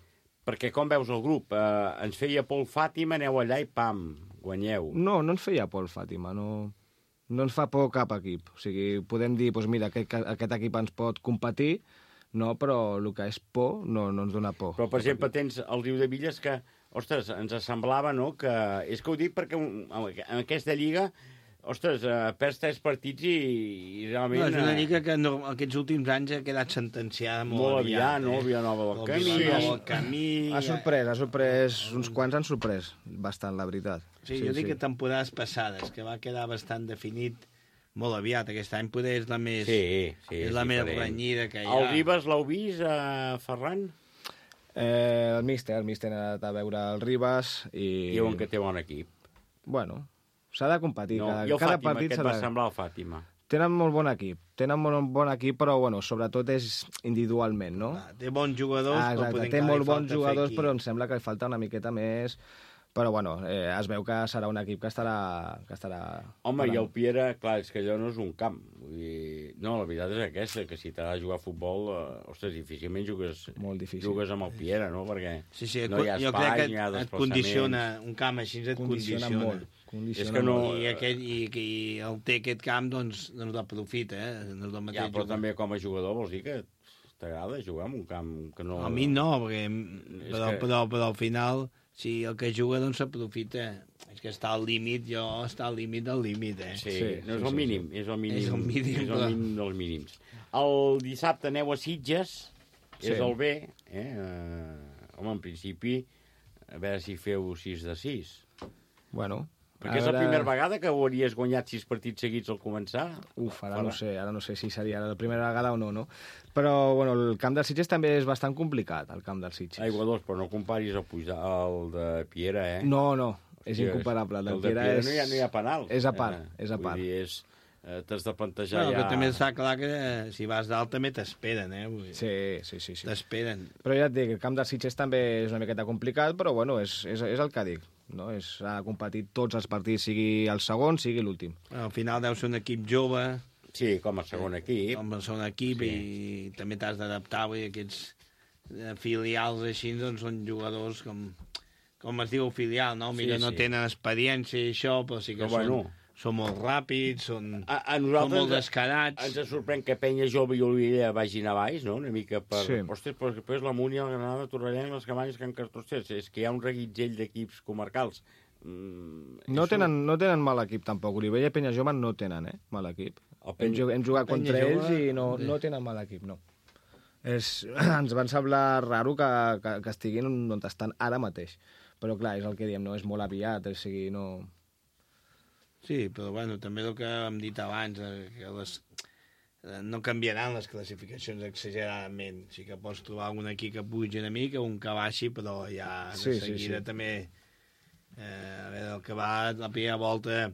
Perquè com veus el grup? Eh, ens feia Pol Fàtima, aneu allà i pam, guanyeu. No, no ens feia por el Fàtima, no, no ens fa por cap equip. O sigui, podem dir, doncs mira, aquest, aquest equip ens pot competir, no, però el que és por no, no ens dona por. Però, per exemple, tens el Riu de Villes que, ostres, ens semblava, no?, que... És que ho dic perquè en aquesta lliga, ostres, eh, perds tres partits i, i realment... No, és una lliga que no, aquests últims anys ha quedat sentenciada molt, molt aviat. aviat, no? Villanova del Camí. Villanova del Camí... Ha sorprès, ha sorprès, uns quants han sorprès bastant, la veritat. Sí, jo dic que temporades passades, que va quedar bastant definit molt aviat. Aquest any poder és la més, sí, sí, és la més renyida que hi ha. El Ribas l'heu vist, eh, Ferran? Eh, el míster, el míster ha anat a veure el Ribas i... Diuen que té bon equip. Bueno, s'ha de competir. No, cada, i el cada Fàtima, partit què et de... va semblar el Fàtima? Tenen molt bon equip, tenen molt bon equip, però bueno, sobretot és individualment, no? Ah, té bons jugadors, ah, però exacte, té molt bons jugadors, però em sembla que li falta una miqueta més... Però, bueno, eh, es veu que serà un equip que estarà... Que estarà Home, parant. I el Piera, clar, és que allò no és un camp. Vull dir... No, la veritat és aquesta, que si t'ha de jugar a futbol, eh, ostres, difícilment jugues, Molt difícil. jugues amb el Piera, no? Perquè sí, sí, no hi ha jo espai, crec que ni hi ha et condiciona, un camp així et condiciona. condiciona molt. Condiciona és que no... I, aquest, i, i el té aquest camp, doncs, doncs l'aprofita, eh? No és el mateix ja, però jugar. també com a jugador vols dir que t'agrada jugar en un camp que no... A mi no, perquè, però, que... però, però al final... Si el que juga, doncs, s'aprofita. És que està al límit, jo està al límit del límit, eh? Sí, sí, no és el mínim, sí. és el mínim. És el mínim, és el mínim dels mínims. El dissabte aneu a Sitges, sí. És el B, eh? Uh, home, en principi, a veure si feu sis de sis. Bueno... Perquè és la primera vegada que hauries guanyat sis partits seguits al començar? Uf, ara no sé, ara no sé si seria la primera vegada o no, no? Però, bueno, el camp dels Sitges també és bastant complicat, el camp dels Sitges. Aigua dos, però no comparis el, pujar, el de Piera, eh? No, no, és incomparable. El, el de Piera, Piera és... no, hi ha, no hi ha penal. És a part, eh? és a part. Vull dir, és... Eh, t'has de plantejar no, ja... Però també està clar que si vas dalt també t'esperen, eh? Vull dir, sí, sí, sí. sí. T'esperen. Però ja et dic, el camp dels Sitges també és una miqueta complicat, però bueno, és, és, és el que dic. No? És, ha competit tots els partits, sigui el segon, sigui l'últim. Al final deu ser un equip jove. Sí, com a segon equip. Com a segon equip, sí. I també t'has d'adaptar, vull dir, aquests filials així, doncs són jugadors com, com es diu filial, no? Mira, sí, no sí. tenen experiència i això, però sí que però, són... Bueno. Són molt ràpids, són, a, a són molt descarats. Ens sorprèn que Penya Jove i Olivella vagin a baix, no? Una mica per... Sí. Ostres, però després la Múnia, la Granada, Torrellana, les Cabanyes, Can Cartosters. És que hi ha un reguitzell d'equips comarcals. Mm, no, tenen, no tenen mal equip, tampoc. Olivella i Penya Jove no tenen, eh? Mal equip. Penya... Hem, hem jugat contra Penya ells Jove... i no, no tenen mal equip, no. És... Ens van semblar raro que, que, que estiguin on estan ara mateix. Però, clar, és el que diem, no? És molt aviat, o sigui, no... Sí, però bueno, també el que hem dit abans, que les, no canviaran les classificacions exageradament. Sí que pots trobar algun equip que pugi una mica, un que baixi, però ja de sí, seguida sí, sí. també... Eh, a veure, el que va la primera volta,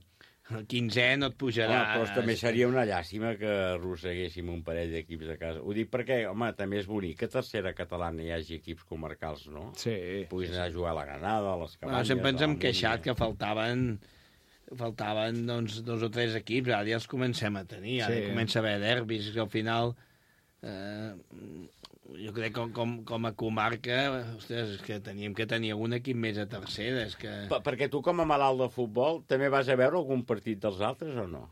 el quinzè no et pujarà... Home, però també seria una llàstima que arrosseguéssim un parell d'equips de casa. Ho dic perquè, home, també és bonic que a tercera catalana hi hagi equips comarcals, no? Sí. Puguis anar a jugar a la Granada, a les Cabanyes... Bueno, sempre ens hem queixat que faltaven... faltaven doncs, dos o tres equips, ara ja els comencem a tenir, ara sí. Comença a haver derbis, que al final eh, jo crec que com, com a comarca ostres, és que teníem que tenir algun equip més a tercera. És que... Per, perquè tu com a malalt de futbol també vas a veure algun partit dels altres o no?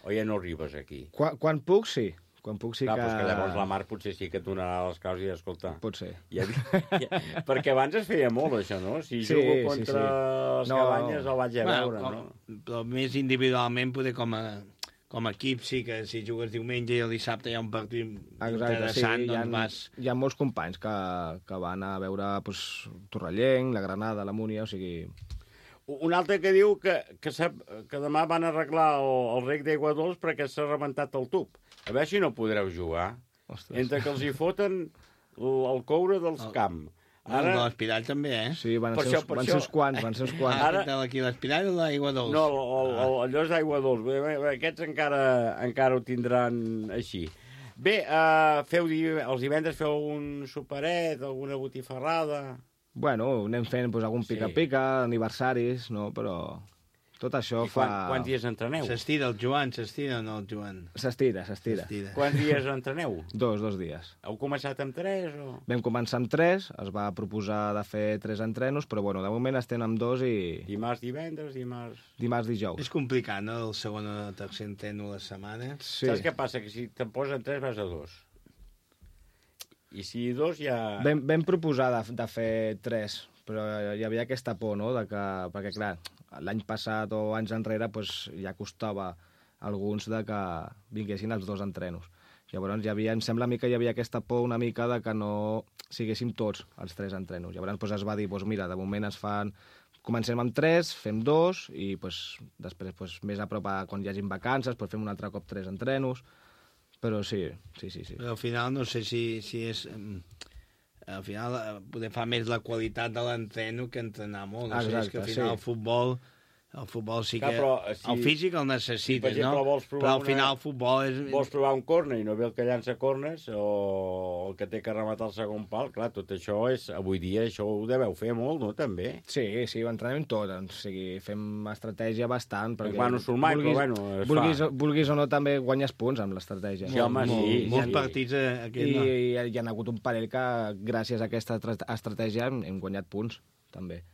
O ja no arribes aquí? Quan, quan puc, sí. Quan puc sí Clar, que... Clar, que llavors la Mar potser sí que et donarà les causes i escolta... Pot ser. Ja, ja, perquè abans es feia molt, això, no? Si sí, jugo contra sí, sí. les no, Cabanyes el vaig a veure, bueno, no? Però més individualment, poder com a, com a equip, sí que si jugues diumenge i el dissabte hi ha un partit Exacte, interessant, sí, doncs hi ha, vas... Hi ha molts companys que, que van a veure pues, Torrellenc, la Granada, la Múnia, o sigui... Un altre que diu que, que, sap, que demà van arreglar el, el rec d'aigua dolç perquè s'ha rebentat el tub. A veure si no podreu jugar. Ostres. Entre que els hi foten el, el coure dels el, camp. Ara... El de l'Espirall també, eh? Sí, van ser, això, van ser uns quants, van ser uns quants. Ara... Aquí l'Espirall o l'aigua dolç? No, el, el, el, allò és d'aigua dolç. Bé, bé, aquests encara, encara ho tindran així. Bé, uh, feu, els divendres feu un superet, alguna botifarrada... Bueno, anem fent pues, algun pica-pica, sí. aniversaris, no? Però Tot això I fa... quan, quants dies entreneu? S'estira el Joan, s'estira o no el Joan? S'estira, s'estira. Quants dies entreneu? Dos, dos dies. Heu començat amb tres o...? Vam començar amb tres, es va proposar de fer tres entrenos, però bueno, de moment estem amb dos i... Dimarts, divendres, dimarts... Dimarts, dijous. És complicat, no?, el segon o el tercer entreno a la setmana. Sí. Saps què passa? Que si te'n posen tres vas a dos. I si dos ja... Vam, vam proposar de, de fer tres, però hi havia aquesta por, no?, de que, perquè clar, l'any passat o anys enrere pues, ja costava a alguns de que vinguessin els dos entrenos. Llavors hi havia, em sembla a mi que hi havia aquesta por una mica de que no siguéssim tots els tres entrenos. Llavors pues, es va dir, pues, mira, de moment es fan... Comencem amb tres, fem dos, i pues, després pues, més a prop a quan hi hagin vacances pues, fem un altre cop tres entrenos. Però sí, sí, sí. sí. Però al final no sé si, si és... Al final poder fa més la qualitat de l'entreno que entrenar molt. No Exacte, sé, és que al final sí. el futbol... El futbol sí que... Clar, però, si, el físic el necessites, si, per exemple, no? Vols provar però al una, final el futbol és... Vols provar un corner i no ve el que llança corners o el que té que rematar el segon pal, clar, tot això és... Avui dia això ho deveu fer molt, no, també? Sí, sí, ho entrenem tot. O sigui, fem estratègia bastant. Perquè Bueno, surt mai, vulguis, però bueno, es vulguis, fa. Vulguis o no, també guanyes punts amb l'estratègia. Sí, home, sí. Molts sí. partits eh, aquest I, no. i hi ha hagut un parell que, gràcies a aquesta estratègia, hem, hem guanyat punts, també.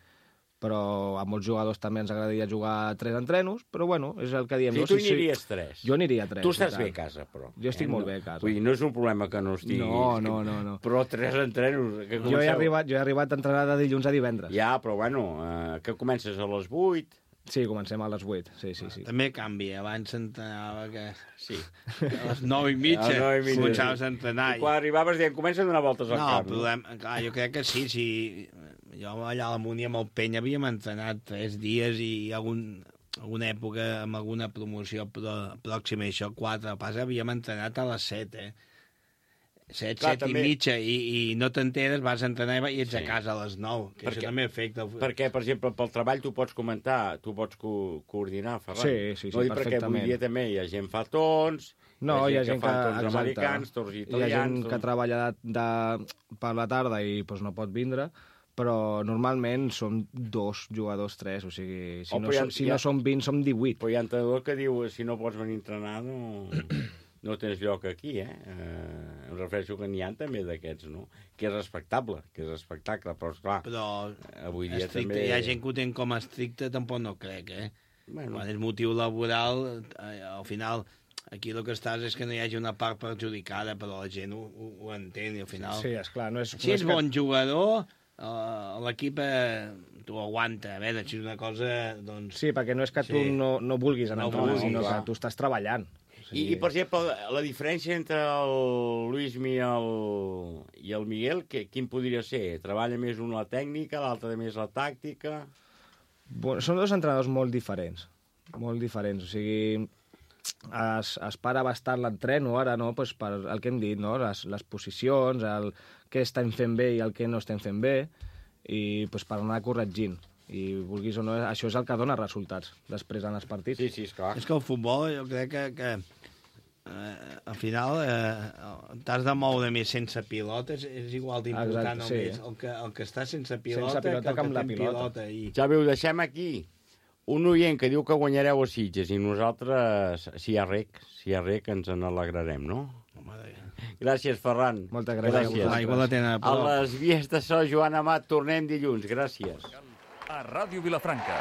Però a molts jugadors també ens agradaria jugar tres entrenos, però bueno, és el que diem. Sí, no? tu Si, n'aniries tres. Jo aniria tres. Tu estàs i tant. bé a casa, però. Jo estic eh? molt no, bé a casa. Vull dir, no és un problema que no estiguis... No, no, no, no. Però tres entrenos... Que Jo he, arribat, jo he arribat a entrenar de dilluns a divendres. Ja, però bueno, eh, que comences a les vuit... Sí, comencem a les vuit, sí, sí, sí. També canvia, abans s'entrenava que... Sí. A les nou i mitja, A les nou i mitja, començaves sí. a entrenar. I quan arribaves dient, comença a donar voltes al no, camp. No, problema, clar, jo crec que sí, sí. Jo allà a la Múnia amb el Penya havíem entrenat tres dies i algun, alguna època amb alguna promoció pro, pròxima, això, quatre, pas havíem entrenat a les set, eh? Set, Clar, set també... i mitja, i, i no t'enteres, vas a entrenar i ets Sí. a casa a les nou, que Perquè- això també afecta. El... Perquè, per exemple, pel treball tu pots comentar, tu pots co coordinar, Ferran. Sí, sí, sí, no, perquè perfectament. avui dia també hi ha gent fa tons, No, hi ha gent que, fa tons exacte, americans, tons hi ha italians... gent que tons... treballa de, de, per la tarda i pues, no pot vindre, però normalment som dos jugadors, tres, o sigui, si, Oh, no, però ja- som, si ja- no som vint, som divuit. Però hi ha entrenador que diu, si no pots venir a entrenar, no, no tens lloc aquí, eh? eh? Em refereixo que n'hi ha també d'aquests, no? Que és respectable, que és respectable, però, esclar, Però avui dia estricte, també... hi ha gent que ho té com a estricte, tampoc no crec, eh? Bueno. Quan és motiu laboral, eh, al final, aquí el que estàs és que no hi hagi una part perjudicada, però la gent ho, ho, ho entén, i al final... Sí, esclar, no és... Si no és que... bon jugador, uh, l'equip eh, t'ho aguanta. A veure, si és una cosa, doncs... Sí, perquè no és que tu Sí. no, no vulguis anar No a entrenar, vulguis, sinó clar. que tu estàs treballant. O I, I, per exemple, la diferència entre el Luismi i el, i el Miguel, que, quin podria ser? Treballa més un la tècnica, l'altre més la tàctica... Bueno, són dos entrenadors molt diferents, molt diferents, o sigui, es, es para bastant l'entreno ara, no?, pues per el que hem dit, no?, les, les posicions, el què estem fent bé i el que no estem fent bé, i pues, per anar corregint. I vulguis o no, això és el que dona resultats després en els partits. Sí, sí, esclar. És que el futbol, jo crec que, que eh, al final eh, t'has de moure més sense pilota, és, és igual d'important Exacte, o sí. més el que, el que està sense pilota, Sense pilota que el que amb que la té pilota. pilota. I... Ja veu, deixem aquí un oient que diu que guanyareu a Sitges i nosaltres, si hi ha rec, si hi ha rec, ens en alegrarem, no? Gràcies, Ferran. Moltes gràcies. gràcies. L'aigua la tenen a prop. A les vies de so, Joan Amat, tornem dilluns. Gràcies. A Ràdio Vilafranca,